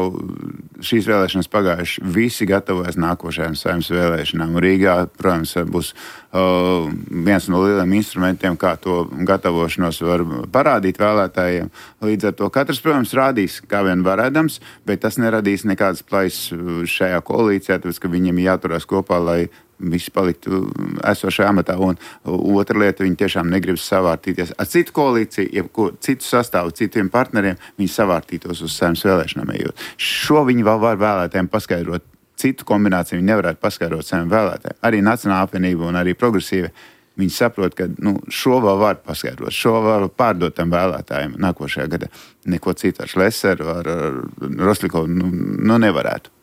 šīs vēlēšanas pagājuši, visi gatavojas nākošajām saimnes vēlēšanām. Rīgā, protams, būs uh, viens no lieliem instrumentiem, kā to gatavošanos var parādīt vēlētājiem. Līdz ar to katrs, protams, rādīs, kā vien varēdams, bet tas neradīs nekādas plaisas šajā koalīcijā, tāpēc, ka viņiem jāturās kopā, lai visi paliktu esošajā amatā. Un otra lieta, viņi tiešām negrib savārtīties ar citu koalīciju, jebko citu sastāvu, citiem partneriem, viņi savārtītos uz saimnes vēlēšanām ejot. Šo viņi vēl var vēlētājiem paskaidrot. Citu kombināciju viņi nevarētu paskaidrot saviem vēlētājiem. Arī Nacionāla apvienība un arī progresīva, viņi saprot, ka nu, šo vēl var paskaidrot, šo var pārdot tam vēlētājiem nākošajā gadā. Neko citu ar Šleseru, ar, ar Roslikovu nu, nu nevarētu.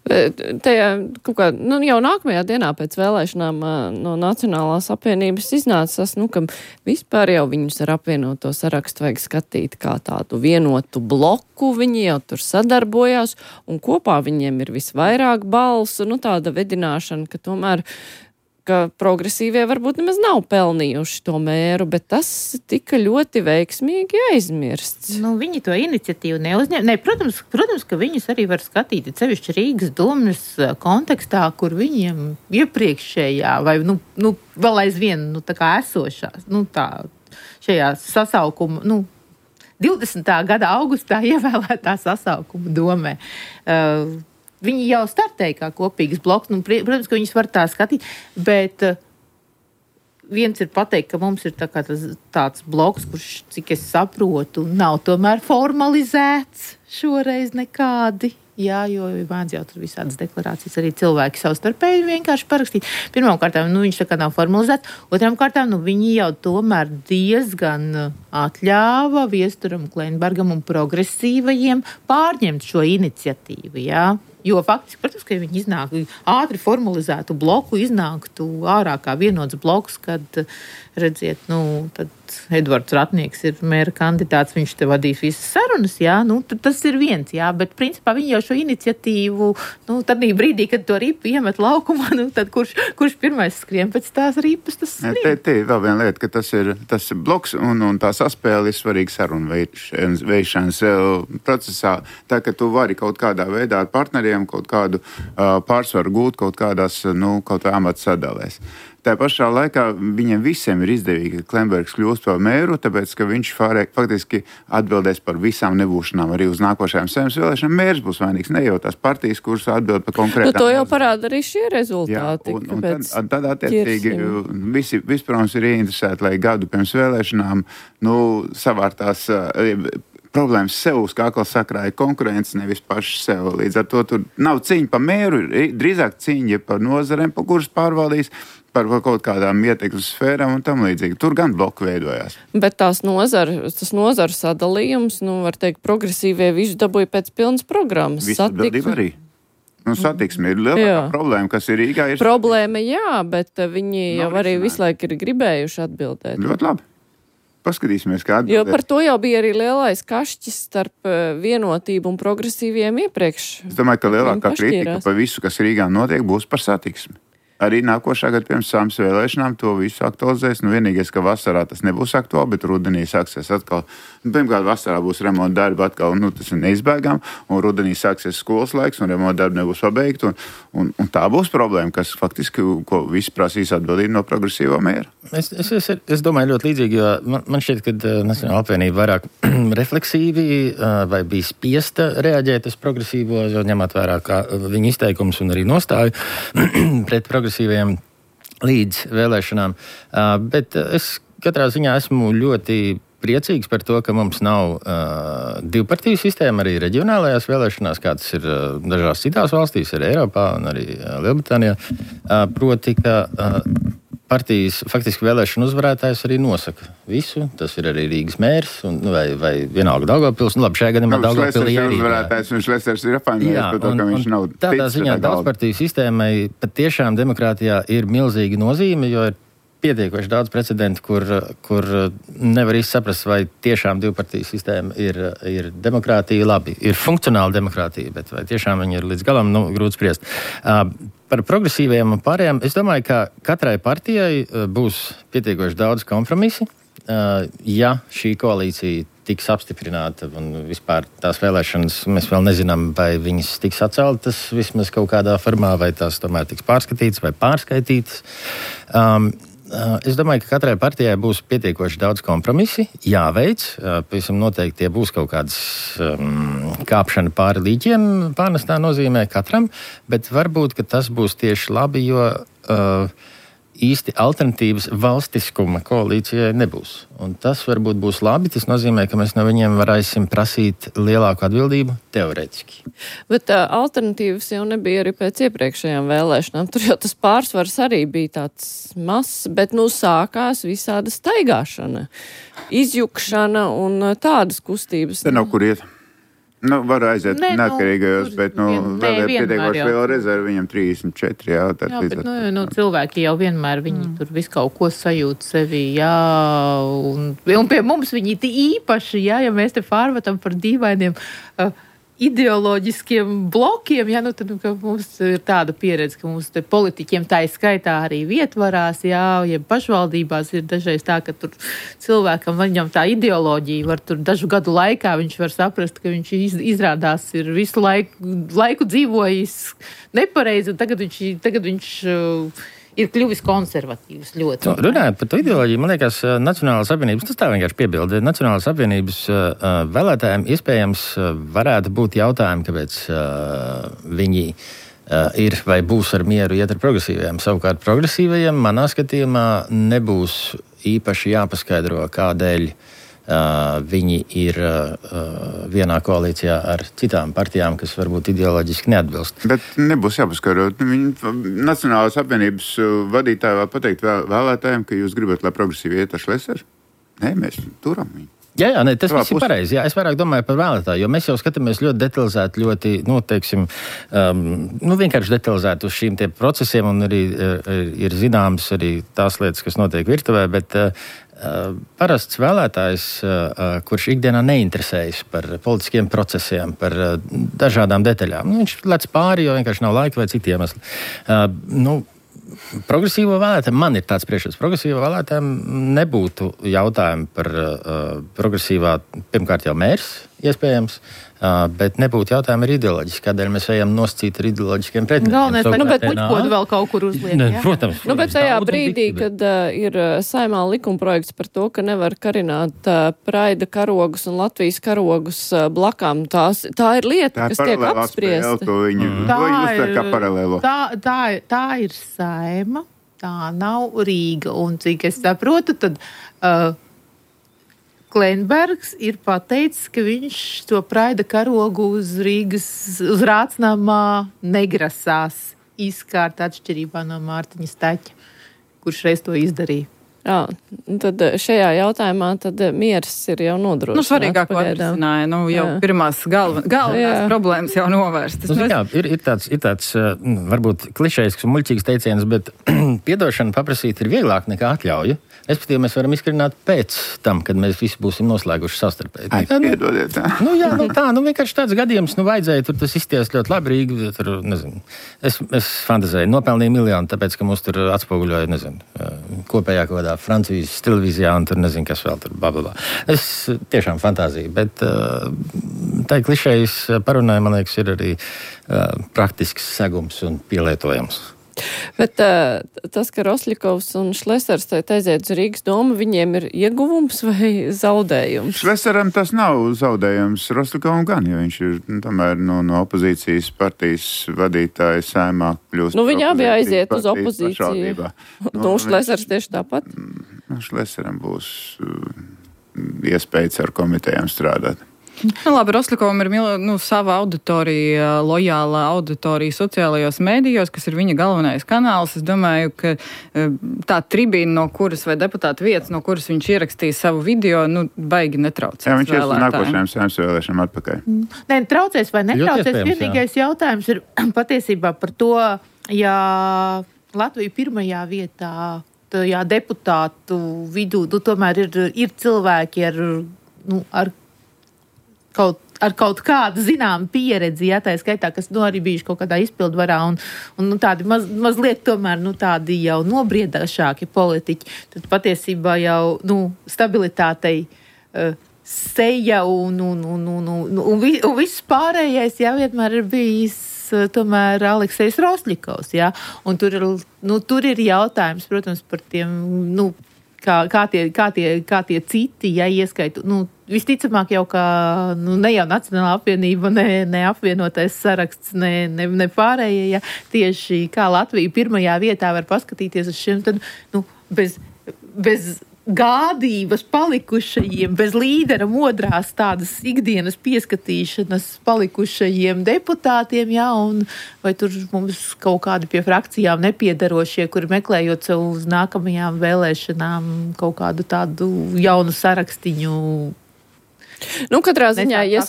Tajā, kā, nu, jau nākamajā dienā pēc vēlēšanām no Nacionālās apvienības iznāca tas, nu, ka vispār jau viņus ar apvienoto sarakstu vajag skatīt kā tādu vienotu bloku, viņi jau tur sadarbojās, un kopā viņiem ir visvairāk balsu, nu, tāda vedināšana, ka tomēr ka progresīvie varbūt nemaz nav pelnījuši to mēru, bet tas tika ļoti veiksmīgi aizmirsts. Nu, viņi to iniciatīvu neuzņem. Ne, protams, protams, ka viņus arī var skatīt, sevišķi Rīgas domas kontekstā, kur viņiem iepriekšējā vai, nu, nu vēl aizvien, nu, tā kā esošās, nu, tā, šajā sasaukuma, nu, divdesmitā gada augustā ievēlētā sasaukuma domē. Uh, Viņi jau startēja kā kopīgs bloks, nu, protams, ka viņus var tā skatīt, bet uh, viens ir pateikt, ka mums ir tā kā tas, tāds bloks, kurš, cik es saprotu, nav tomēr formalizēts šoreiz nekādi. Jā, jo mēdz jau tur visādas deklarācijas arī cilvēki savstarpēji vienkārši parakstīt. Pirmām kārtām, nu, viņš tā kā nav formalizēts. Otrām kārtām, nu, viņi jau tomēr diezgan atļāva Viesturam, Kleinbergam un progresīvajiem pārņemt šo iniciatīvu, jā. Jo faktiski, protams, ka viņi iznāk ātri formalizētu bloku, iznāktu ārā kā vienots bloks, kad, redziet, nu, tad Edvards Ratnieks ir mēra kandidāts, viņš te vadīs visas sarunas, jā, nu, tas ir viens, jā, bet principā viņi jau šo iniciatīvu, nu, tad brīdī, kad to ripu iemet laukumā, nu, tad kurš, kurš pirmais skrien pēc tās ripas, tas skrien. Te, te ir vēl viena lieta, ka tas ir, tas ir bloks un, un tās saspēle ir svarīga sarunu veišanas procesā. Tā, ka tu vari kaut kādā veidā ar partneriem kaut kādu uh, pārsvaru gūt kaut kādās, nu, kaut kā amata sadalēs. Tā pašā laikā viņiem visiem ir izdevīgi, ka Klembergs kļūst par mēru, tāpēc, ka viņš fārē, faktiski atbildēs par visām nebūšanām arī uz nākošajām saimnes vēlēšanām. Mērs būs vainīgs, ne jau tās partijas, kuras atbild par konkrētām. Nu, to jau parāda arī šie rezultāti. Jā, un, un tad, tad attiecīgi visi, visprotams, ir ieinteresēti, lai gadu pirms vēlēšanām, nu, savārtās problēmas sev uz kakla sakrāja konkurence, nevis paši sev. Līdz ar to tur nav cīņa par mēru, drīzāk cīņa par nozarēm, pa kuras pārvaldīs, par kaut kādām ietekmes sfērām un tam līdzīgi. Tur gan bloku veidojās. Bet tās nozara, tas nozaru sadalījums, nu, var teikt, progresīvie visu dabūja pēc pilnas programmas. Visu atbildību arī. Nu, satiksme ir lielākā problēma, kas ir Rīgā. Ir problēma, jā, bet viņi jau arī visu laiku ir gribējuši atbildēt. Ļoti labi. Paskatīsimies, kā atbildēt. Jo par to jau bija arī lielais kašķis starp vienotību un progresīviem iepriekš. Es domāju, ka lielākā kritika par visu, kas Rīgā notiek, būs par satiksmi. Arī nākošā gada pirms saimnes vēlēšanām to visu aktualizēs. Nu, vienīgais, ka vasarā tas nebūs aktuāli, bet rudenī sāksies atkal. Nu, pirmkārt, vasarā būs remonta darbi atkal, nu, tas ir neizbēgami, un rudenī sāksies skolas laiks, un remonta darbi nebūs pabeigti, un, un, un tā būs problēma, kas faktiski, ko visi prasīs atbildību no progresīvā mēra. Es, es, es, es domāju ļoti līdzīgi, jo man, man šķiet, ka uh, Nacionāla apvienība vairāk refleksīvi uh, vai bija spiesta reaģēt uz progresīvo, jo ņemot vērā kā viņa izteikums un arī nostāju pret progresīviem līdz vēlēšanām. Uh, bet es katrā ziņā esmu ļoti priecīgs par to, ka mums nav uh, divpartiju sistēma arī reģionālajās vēlēšanās, kā tas ir uh, dažās citās valstīs, arī Eiropā un arī uh, Lielbritānijā. Uh, proti, ka uh, partijas faktiski vēlēšana uzvarētājs arī nosaka visu. Tas ir arī Rīgas mērs un, vai, vai vienalga Daugavpils. Nu, labi, šajā gadījumā Daugavpilī arī. Uzvarētājs, viņš Lesers ir apvainojis par to, ka viņš nav ticis. Tādā ziņā daudzpartiju sistēmai pat tiešām demokrātijā ir milzīga nozīme, jo ir pietiekoši daudz precedentu, kur, kur nevar īsti saprast, vai tiešām divpartiju sistēma ir, ir demokrātija labi. Ir funkcionāla demokrātija, bet vai tiešām viņi ir līdz galam, nu, grūti spriest. Uh, par progresīviem un pārējiem, es domāju, ka katrai partijai uh, būs pietiekoši daudz kompromisi. Uh, ja šī koalīcija tiks apstiprināta un vispār tās vēlēšanas, mēs vēl nezinām, vai viņas tiks atceltas vismaz kaut kādā formā, vai tās tomēr tiks pārskatītas vai pārskaitītas. Um, Es domāju, ka katrai partijai būs pietiekoši daudz kompromisi, jāveic. Pavisam noteikti tie būs kaut kādas um, kāpšana pāri līķiem, pārnestā nozīmē katram, bet varbūt, ka tas būs tieši labi, jo uh, īsti alternatīvas valstiskuma koalīcijai nebūs. Un tas varbūt būs labi, tas nozīmē, ka mēs no viņiem varēsim prasīt lielāku atbildību teorētiski. Bet uh, alternatīvas jau nebija arī pēc iepriekšējām vēlēšanām. Tur jau tas pārsvars arī bija tāds mazs, bet nu sākās visāda staigāšana, izjukšana un uh, tādas kustības. Te nav kur iet. Nu, var aiziet ne, neatkarīgajos, nu, bet, nu, vien, vēl ir pietiekoši liela rezerva, viņam trīsdesmit četri, jā. Tā jā, bet, nu, nu, cilvēki jau vienmēr, viņi mm. tur visu kaut ko sajūt sevi, jā, un, un pie mums viņi īpaši, jā, ja mēs te pārvatam par dīvainiem uh, ideoloģiskiem blokiem, ja, nu, tad nu, mums ir tāda pieredze, ka mums te politiķiem tā ir skaitā arī vietvarās, jā, ja pašvaldībās ir dažreiz tā, ka tur cilvēkam viņam tā ideoloģija var tur dažu gadu laikā, viņš var saprast, ka viņš iz, izrādās ir visu laiku, laiku dzīvojis nepareizi, un tagad viņš, tagad viņš uh, ir kļuvis konservatīvs ļoti. Nu, runājot par to ideoloģiju, man liekas, Nacionālās apvienības, tas tā vienkārši piebilda, Nacionālās apvienības uh, vēlētājiem iespējams uh, varētu būt jautājumi, kāpēc uh, viņi uh, ir vai būs ar mieru iet ar progresīvajiem. Savukārt progresīvajiem, manā skatījumā, nebūs īpaši jāpaskaidro, kādēļ Uh, viņi ir uh, vienā koalīcijā ar citām partijām, kas varbūt ideoloģiski neatbilst. Bet nebūs jāpaskaidro. Nacionālās apvienības vadītāji vēl pateikt vēl, vēlētājiem, ka jūs gribat, lai progresīvi iet ar Šleseru? Nē, mēs turam viņu. Jā, jā, ne, tas viss ir pareizi. Jā, es vairāk domāju par vēlētāju, jo mēs jau skatāmies ļoti detalizēti, ļoti, nu, teiksim, um, nu, vienkārši detalizēti uz šīm tie procesiem, un arī uh, ir zināmas arī tās lietas, kas notiek virtuvē, bet uh, parasts vēlētājs, uh, kurš ikdienā neinteresējas par politiskiem procesiem, par uh, dažādām detaļām. Nu, viņš lec pāri, jo vienkārši nav laika vai citi iemesli. Uh, nu, progresīvo vēlētājiem, man ir tāds priekšstats, progresīvo vēlētājiem nebūtu jautājumu par uh, progresīvā, pirmkārt jau mērs, iespējams, uh, bet nebūtu jautājumu ar ideoloģiski, kādēļ mēs ejam noscīt ar ideoloģiskiem pretendentiem. Galvenais, vai nu, bet puķkodu vēl kaut kur uzliek, ne, ja? Protams. Nu, bet tajā brīdī, kad uh, ir saimā likumprojekts par to, ka nevar karināt uh, praida karogus un Latvijas karogus uh, blakām, tās, tā ir lieta, tā kas tiek apspriesta. Tā, viņi, tā, ir, tā, tā, tā ir saima, tā nav Rīga, un cik es saprotu, tad... Uh, Klenbergs ir pateicis, ka viņš to praida karogu uz Rīgas, uz Rācnamā negrasās izkārt atšķirībā no Mārtiņa Staķa, kurš reiz to izdarīja. Jā, tad šajā jautājumā tad miers ir jau nodrošināts. Nu, svarīgāko atrisināja, nu, jau jā. pirmās galven, galvenās jā. problēmas jau novērstas. Nu, jā, ir, ir tāds, ir tāds varbūt klišejisks un muļķīgs teiciens, bet piedošanu paprasīt ir vieglāk nekā atļauju. Respektīvi, mēs varam izkarināt pēc tam, kad mēs visi būsim noslēguši savstarpēji. Ai, piedodiet, tā. Nu, jā, nu tā, nu vienkārši tāds gadījums, nu vajadzēja, tur tas izties ļoti labi Rīgi, tur, nezinu, es, es fantazēju, nopelnīju miljonu, tāpēc, ka mūs tur atspoguļoja, nezinu, kopējā kaut kādā Francijas televīzijā un tur nezinu, kas vēl tur, blablabla. Es tiešām fantāziju, bet tā klišejas parunāja, man liekas, ir arī praktisks segums un pielietojams. Bet uh, tas, ka Rosļikovs un Šlesers aiziet uz Rīgas domu, viņiem ir ieguvums vai zaudējums? Šleseram tas nav zaudējums, Rosļikovam gan, jo viņš ir nu, tomēr no, no opozīcijas partijas vadītāja saimā kļūst. Nu, viņi abi aiziet uz opozīciju. Nu, nu Šlesers tieši tāpat? Nu, Šleseram būs uh, iespējas ar komitejām strādāt. Nu, labi, Rosļikovam ir nu, sava auditorija, lojāla auditorija sociālajos mēdījos, kas ir viņa galvenais kanāls. Es domāju, ka tā tribīna, no kuras vai deputāta vietas, no kuras viņš ierakstīja savu video, nu, baigi netraucēs. Jā, viņš ir uz nākošajām saimnes vēlēšanām atpakaļ. Nē, traucēs vai netraucēs, vienīgais jā. jautājums ir patiesībā par to, ja Latvija pirmajā vietā, tajā deputātu vidū, nu, tomēr ir, ir cilvēki ar, nu, ar Kaut, ar kaut kādu zināmu pieredzi, ja tā skaitā, kas nu, arī bijuši kaut kādā izpildvarā un, un nu, tādi maz, mazliet tomēr nu, tādi jau nobriedāšāki politiķi, tad patiesībā jau nu, stabilitātei uh, seja un, un, un, un, un, un, vi, un viss pārējais jau vienmēr ir bijis uh, tomēr Aleksejs Rosļikovs, ja? Un tur ir, nu, tur ir jautājums, protams, par tiem, nu, Kā, kā, tie, kā, tie, kā tie citi, ja ieskaitu, nu, visticamāk jau, ka nu, ne jau Nacionālā apvienība, ne, ne apvienotais saraksts, ne, ne, ne pārējie, ja tieši kā Latvija pirmajā vietā var paskatīties uz šiem, tad, nu, bez, bez gādības palikušajiem, bez līdera modrās tādas ikdienas pieskatīšanas palikušajiem deputātiem, jā, un vai tur mums kaut kādi pie frakcijām nepiedarošie, kuri meklējot sev uz nākamajām vēlēšanām kaut kādu tādu jaunu sarakstiņu. Nu, katrā ziņā, ja,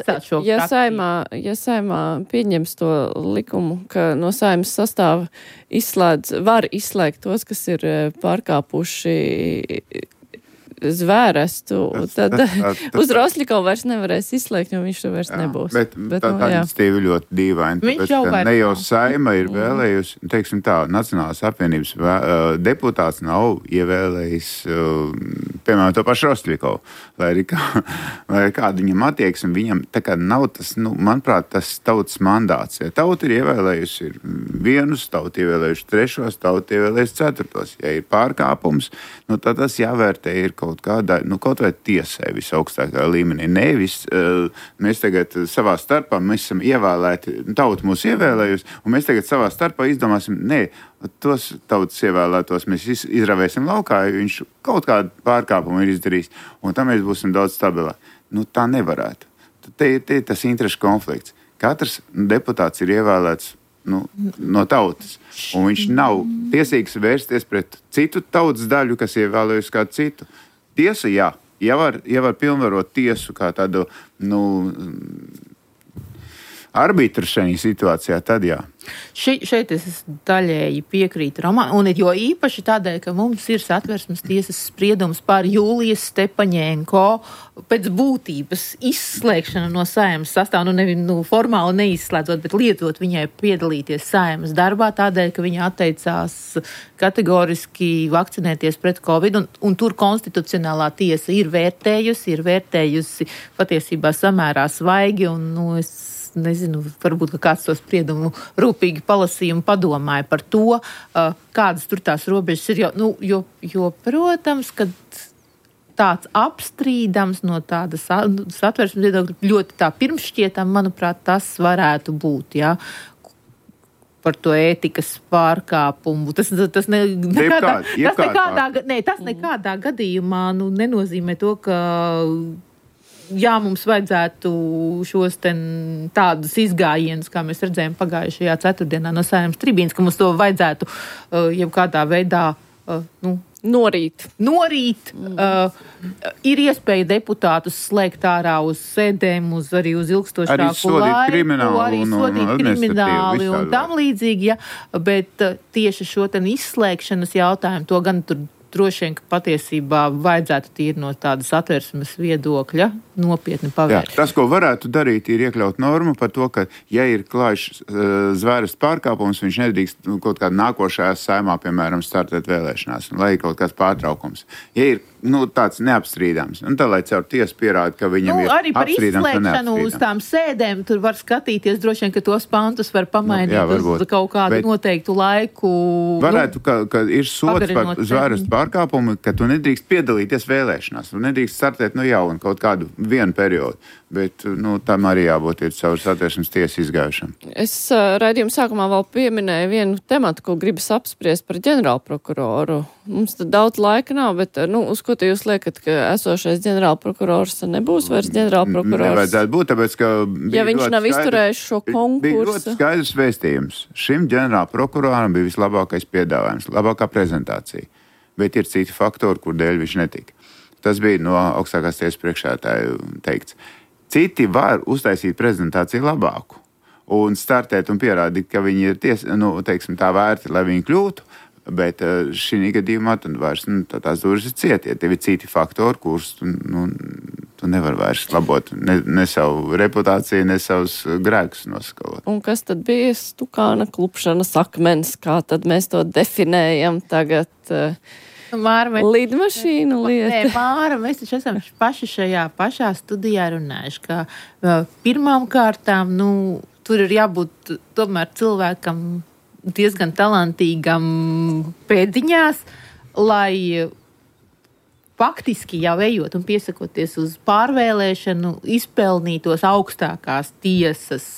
ja, saimā, ja saimā pieņems to likumu, ka no saimas sastāva izslēdz, var izslēgt tos, kas ir pārkāpuši zvērestu, tad tas, tas, tas, uz Rosļikovu vairs nevarēs izslēgt, jo viņš tur vairs jā, nebūs. Bet, bet tā, tā iniciatīva ļoti dīvaina, tāpēc, ka ne jau saima ir vēlējusi, teiksim tā, Nacionālās apvienības vē, uh, deputāts nav ievēlējis, uh, piemēram, to pašu Rosļikovu, lai arī kā, lai kādu viņam attieksmi, viņam tā kā nav tas, nu, manuprāt, tas tautas mandāts. Ja tauta ir ievēlējusi ir vienus, tauta ievēlējuši trešos, tauta ievēlējuši ceturtos. Ja ir pārkāpums, nu, tad tas jāvērtē ir kaut kādā, nu, kaut vai tiesai visaugstākā līmenī. Nevis, uh, mēs tagad savā starpā, mēs esam ievēlēti, tauta mūs ievēlējusi, un mēs tagad savā starpā izdomāsim, nē, tos tautas ievēlētos mēs izravēsim laukā, jo viņš kaut kādu pārkāpumu ir izdarījis, un tam mēs būsim daudz stabilāk. Nu, tā nevarētu. Te ir tas interešu konflikts. Katrs deputāts ir ievēlēts nu, no tautas, un viņš nav tiesīgs vērsties pret citu tautas daļu, kas ievēlējusi kādu citu. Tiesa, jā, ja var, ja var pilnvarot tiesu kā tādu, nu, arbitru šajā situācijā, tad jā. Še, šeit es daļēji piekrītu Romānam, un jo īpaši tādēļ, ka mums ir Satversmes tiesas spriedums par Jūlijas Stepaņenko pēc būtības izslēgšanu no Saeimas sastāvā, nu, nevi, nu formāli neizslēdzot, bet lietot viņai piedalīties Saeimas darbā, tādēļ, ka viņa atteicās kategoriski vakcinēties pret Covid, un, un tur konstitucionālā tiesa ir vērtējusi, ir vērtējusi patiesībā samērā svaigi, un, nu, es nezinu, varbūt, ka kāds to spriedumu rūpīgi palasīja un padomāja par to, uh, kādas tur tās robežas ir, jo, nu, jo, jo protams, ka tāds apstrīdams no tādas Satversmes viedokļa ļoti tā pirmšķietam, manuprāt, tas varētu būt, jā. Par to ētikas pārkāpumu. Tas, tas, ne, nekādā, tas, nekādā, ne, tas nekādā gadījumā nu, nenozīmē to, ka jā, mums vajadzētu šos ten tādus izgājienus, kā mēs redzējām pagājušajā ceturtdienā no Saeimas tribīnas, ka mums to vajadzētu uh, jebkādā veidā uh, nu, norīt. Norīt. Mm. Uh, ir iespēja deputātus slēgt ārā uz sēdēm, uz arī uz ilgstošāku laiku, arī sodīt krimināli un tam līdzīgi, ja, bet uh, tieši šo ten izslēgšanas jautājumu, to gan tur droši vien, ka patiesībā vajadzētu tīri no tādas Satversmes viedokļa nopietni pavērst. Jā, tas, ko varētu darīt, ir iekļaut normu par to, ka, ja ir klājš uh, zvērestu pārkāpums, viņš nedrīkst nu, kaut kādā nākošajā saimā, piemēram, startēt vēlēšanās, un lai ir kaut kāds pārtraukums. Ja ir nu, tāds neapstrīdams, un tā, lai caur tiesu pierāda, ka viņam nu, ir apstrīdams un neapstrīdams. Arī par izslēgšanu uz tām sēdēm tur var skatīties, droši vien, ka tos pantus var pamainīt nu, jā, uz kaut kādu Bet noteiktu laiku. Varētu, nu, ka, ka ir sots par zvērestu pārkāpumu, ka tu nedrīkst piedalīties vēlēšanās, tu nedrīkst startēt no jauna kaut kādu vienu periodu, bet nu, tam arī jābūt ir caur Satversmes tiesu izgājušam. Es uh, raidījuma sākumā vēl pieminēju vienu tematu, ko gribas apspriest par ģenerālprokuroru. Mums tad daudz laika nav, bet nu, uz ko jūs liekat, ka esošais ģenerālprokurors nebūs vairs ģenerālprokurors? Nevajadzētu būt, tāpēc, ka ja viņš nav izturējis šo konkursu. Bija ļoti skaidrs vēstījums. Šim ģenerālprokuroram bija vislabākais piedāvājums, labākā prezentācija. Bet ir citi faktori, kur dēļ viņš netika. Tas bija no augstākās tiesas priekšētāja teikts. Citi var uztaisīt prezentāciju labāku un startēt un pierādīt, ka viņi ir ties, nu, teiksim, tā vērti, lai viņi kļūtu, bet šī gadījumā tad vairs nu, tā tās durvis ir cietie. Tev ir citi faktori, kurus tu, nu, tu nevar vairs labot ne, ne savu reputāciju, ne savus grēkus noskalot. Un kas tad bija stukāna klupšanas akmens, kā tad mēs to definējam tagad? Māra, mēs, lidmašīnu lieta. Nē, Māra, mēs taču esam paši šajā pašā studijā runājuši, ka uh, pirmām kārtām, nu, tur ir jābūt tomēr cilvēkam diezgan talantīgam pēdiņās, lai faktiski jau ejot un piesakoties uz pārvēlēšanu, izpelnītos augstākās tiesas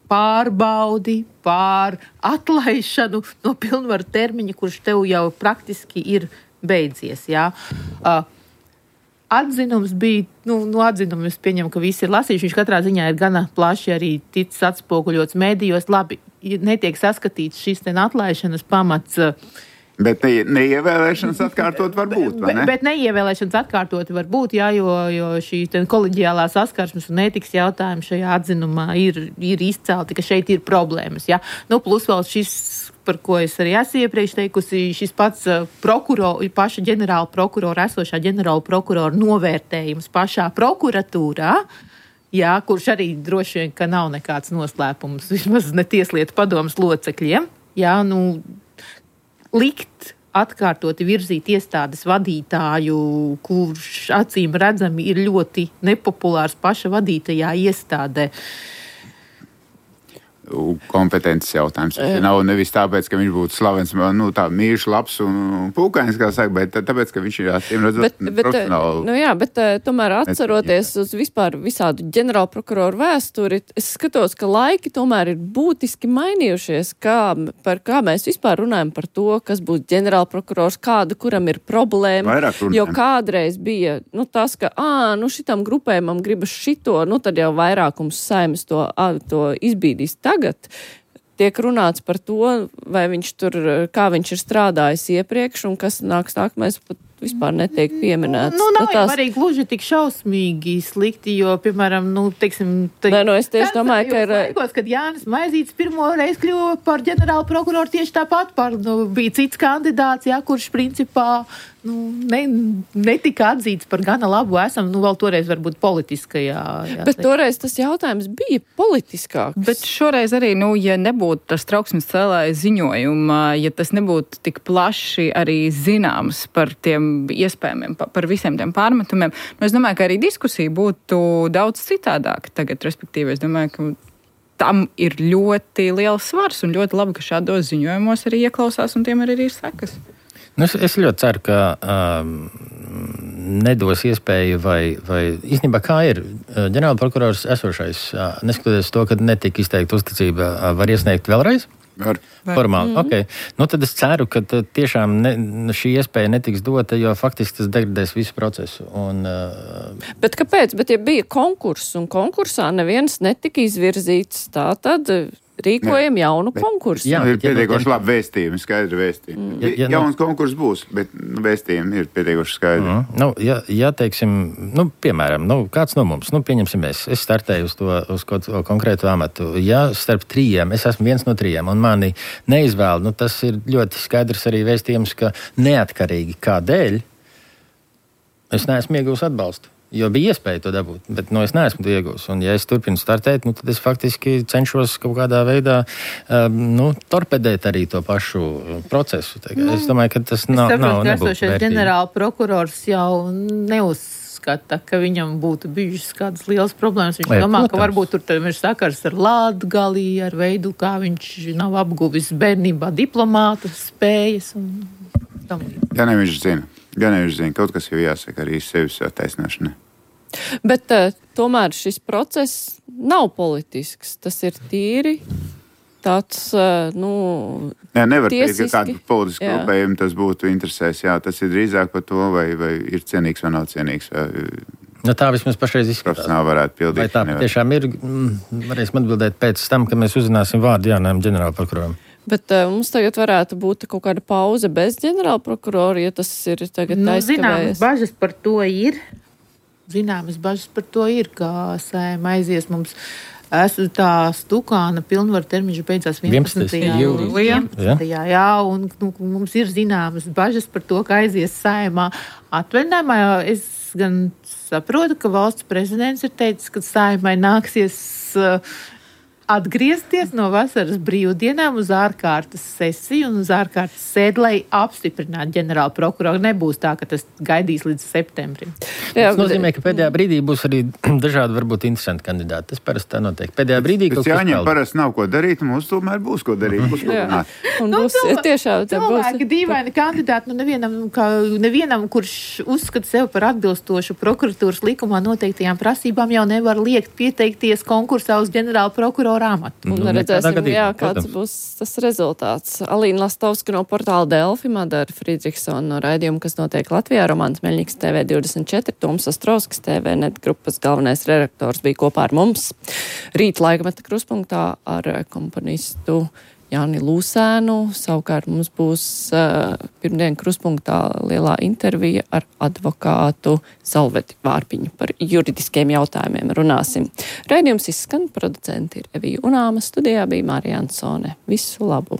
pārbaudi, pār atlaišanu no pilnvaru termiņa, kurš tev jau praktiski ir beidzies. Jā. Uh, atzinums bija, nu, nu atzinumu es pieņemu, ka visi ir lasījuši, viņš katrā ziņā ir gana plaši arī ticis atspoguļots mēdījos. Labi, netiek saskatīts šis ten atlaišanas pamats. Uh, Bet ne, neievēlēšanas atkārtot var būt, vai ne? Bet, bet neievēlēšanas atkārtot var būt, jā, jo, jo šī koleģiālā saskarsmes un ētikas jautājumi šajā atzinumā ir, ir izcelti, ka šeit ir problēmas, jā. Nu, plus vēl šis, par ko es arī esmu iepriekš teikusi, šis pats prokuror, paša ģenerāla prokurora, esošā ģenerāla prokurora novērtējums pašā prokuratūrā, jā, kurš arī droši vien, ka nav nekāds noslēpums, vismaz ne tieslietu padomas locekļiem, jā, nu, likt atkārtoti virzīt iestādes vadītāju, kurš acīm redzami ir ļoti nepopulārs paša vadītajā iestādē. Kompetences jautājums. Tas nav nevis tāpēc, ka viņš būtu slavens, nu, tā mīļš, labs un pūkains, kā saka, bet tāpēc, ka viņš ir jāsiem redzot bet, bet, profesionāli. Nu jā, bet tomēr atceroties uz vispār visādu ģenerālprokuroru vēsturi, es skatos, ka laiki tomēr ir būtiski mainījušies, kā, par kā mēs vispār runājam par to, kas būs ģenerālprokurors, kādu, kuram ir problēma. Jo kādreiz bija, nu, tas, ka, ā, nu, šitam grupējumam gribas šito, nu, tad jau vairākums Saeimas to, to izbīdīs. Tagad tiek runāts par to, vai viņš tur, kā viņš ir strādājis iepriekš un kas nāks tā, ka mēs pat vispār netiek pieminēts. Nu, nav nu, tās... arī gluži tik šausmīgi slikti, jo, piemēram, nu, teiksim... Te... Nē, nu, es tieši domāju, ka ir... Laikos, kad Jānis Maizītis pirmo reizi kļuva par ģenerālu prokuroru tieši tāpat par, nu, bija cits kandidāts, jā, kurš principā, nu, ne, netika atzīts par gana labu esam, nu, vēl toreiz varbūt politiskajā. Jā, bet toreiz tas jautājums bija politiskāks. Bet šoreiz arī, nu, ja nebūtu tas trauksmes cēlāja ziņojuma, ja tas nebūtu tik plaši arī zināms par tiem iespējamiem, par visiem tiem pārmetumiem, nu, es domāju, ka arī diskusija būtu daudz citādāka tagad, respektīvi, es domāju, ka tam ir ļoti liels svars un ļoti labi, ka šādos ziņojumos arī ieklausās un tiem arī ir sekas. Nu, es, es ļoti ceru, ka um, nedos iespēju vai, vai īstenībā kā ir ģenerāla prokurors esošais, uh, neskatoties to, ka netika izteikta uzticība, uh, var iesniegt vēlreiz? Var. Formāli, mm-hmm. ok. Nu, tad es ceru, ka tiešām ne, šī iespēja netiks dota, jo faktiski tas degradēs visu procesu. Un, uh... Bet kāpēc? Bet ja bija konkurss un konkursā neviens netika izvirzīts, tā tad rīkojam jaunu bet, konkursu. Jā, ir pietiekoši labi vēstījumi, skaidri vēstījumi. Mm. Ja, ja, Jauns no... konkurss būs, bet nu, vēstījumi ir pietiekoši skaidri. Mm. Nu, ja, ja teiksim, nu, piemēram, nu, kāds no mums, nu, pieņemsim es, es startēju uz to, uz kaut konkrētu amatu. Ja starp trījiem, es esmu viens no trījiem, un mani neizvēl, nu, tas ir ļoti skaidrs arī vēstījums, ka neatkarīgi kādēļ es neesmu iegūs atbalstu. Jo bija iespēja to dabūt, bet nu, es neesmu to iegūs. Un, ja es turpinu startēt, nu, tad es faktiski cenšos kaut kādā veidā um, nu, torpedēt arī to pašu procesu. Nu, es domāju, ka tas nav, nav nebūtu vērtīgi. Ģenerāla prokurors jau neuzskata, ka viņam būtu bijušas kādas lielas problēmas. Viņš Vai, domā, protams. Ka varbūt tur ir sakars ar Latgali, ar veidu, kā viņš nav apguvis bērnībā diplomāta spējas. Un tam līdz. Jā, ne, viņš zina. Gan jau zina, kaut kas jau jāsaka arī sevis attaisnošanai. Bet uh, tomēr šis process nav politisks. Tas ir tīri tāds, uh, nu, jā, nevar tiesiski. Teikt, ka kādu politisku grupējumu tas būtu interesēs. Jā, tas ir drīzāk par to, vai, vai ir cienīgs vai nav cienīgs. Vai, nu, tā vismaz pašreiz izskatās. Profesionāli varētu pildīt. Vai tā tiešām ir, varēsim atbildēt pēc tam, kad mēs uzzināsim vārdu jaunajam ģenerāla prokuroram. Bet uh, mums tagad varētu būt kaut kāda pauze bez ģenerāla prokurora, ja tas ir tagad nu, aizkavējies. Zināmas bažas par to ir. Zināmas bažas par to ir, ka Saeima aizies mums. Esmu tā Stukāna pilnvaru termiņš beidzās vienpadsmitajā jūlijā. Jā, jā, un nu, mums ir zināmas bažas par to, ka aizies Saeimā atvaļinājumā. Es gan saprotu, ka valsts prezidents ir teicis, ka Saeimai nāksies uh, atgriezties no vasaras brīvdienām uz ārkārtas sesiju un uz ārkārtas sēdi, lai apstiprinātu ģenerālu prokuroru. Nebūs tā, ka tas gaidīs līdz septembrim. Jā, tas nozīmē, ka pēdējā brīdī būs arī dažādi varbūt interesanti kandidāti. Tas parasti tā notiek. Pēdējā brīdī kaut kas jāņem parasti nav ko darīt, un mums tomēr būs ko darīt. Būs ko runāt. Un nu, būs cilvē, tiešām tā būs. Cilvēki dīvaini kandidāti, nu nevienam, kā, nevienam, kurš uzskata sev par atbilstošu prokuratūras likumā noteiktajām prasībām, jau nevar liekt pieteikties konkursā uz ģenerālu prokuroru amatu. Un nu, redzēsim, gadījumā, jā, kāds protams. Būs tas rezultāts. Alīna Lastovska no portāla Delfi, Madara Friedrichsona no raidījuma, kas notiek Latvijā, Romāns Meļņiks T V divdesmit četri, Tums Astrovskis T V net grupas galvenais redaktors bija kopā ar mums. Rīt laikmeta kruspunktā ar komponistu Jāni Lūsēnu. Savukārt mums būs uh, pirmdien kruspunktā lielā intervija ar advokātu Salveti Vārpiņu par juridiskiem jautājumiem runāsim. Raidījums izskan, producenti ir Evija Unāma, studijā bija Mārija Ansone. Visu labu!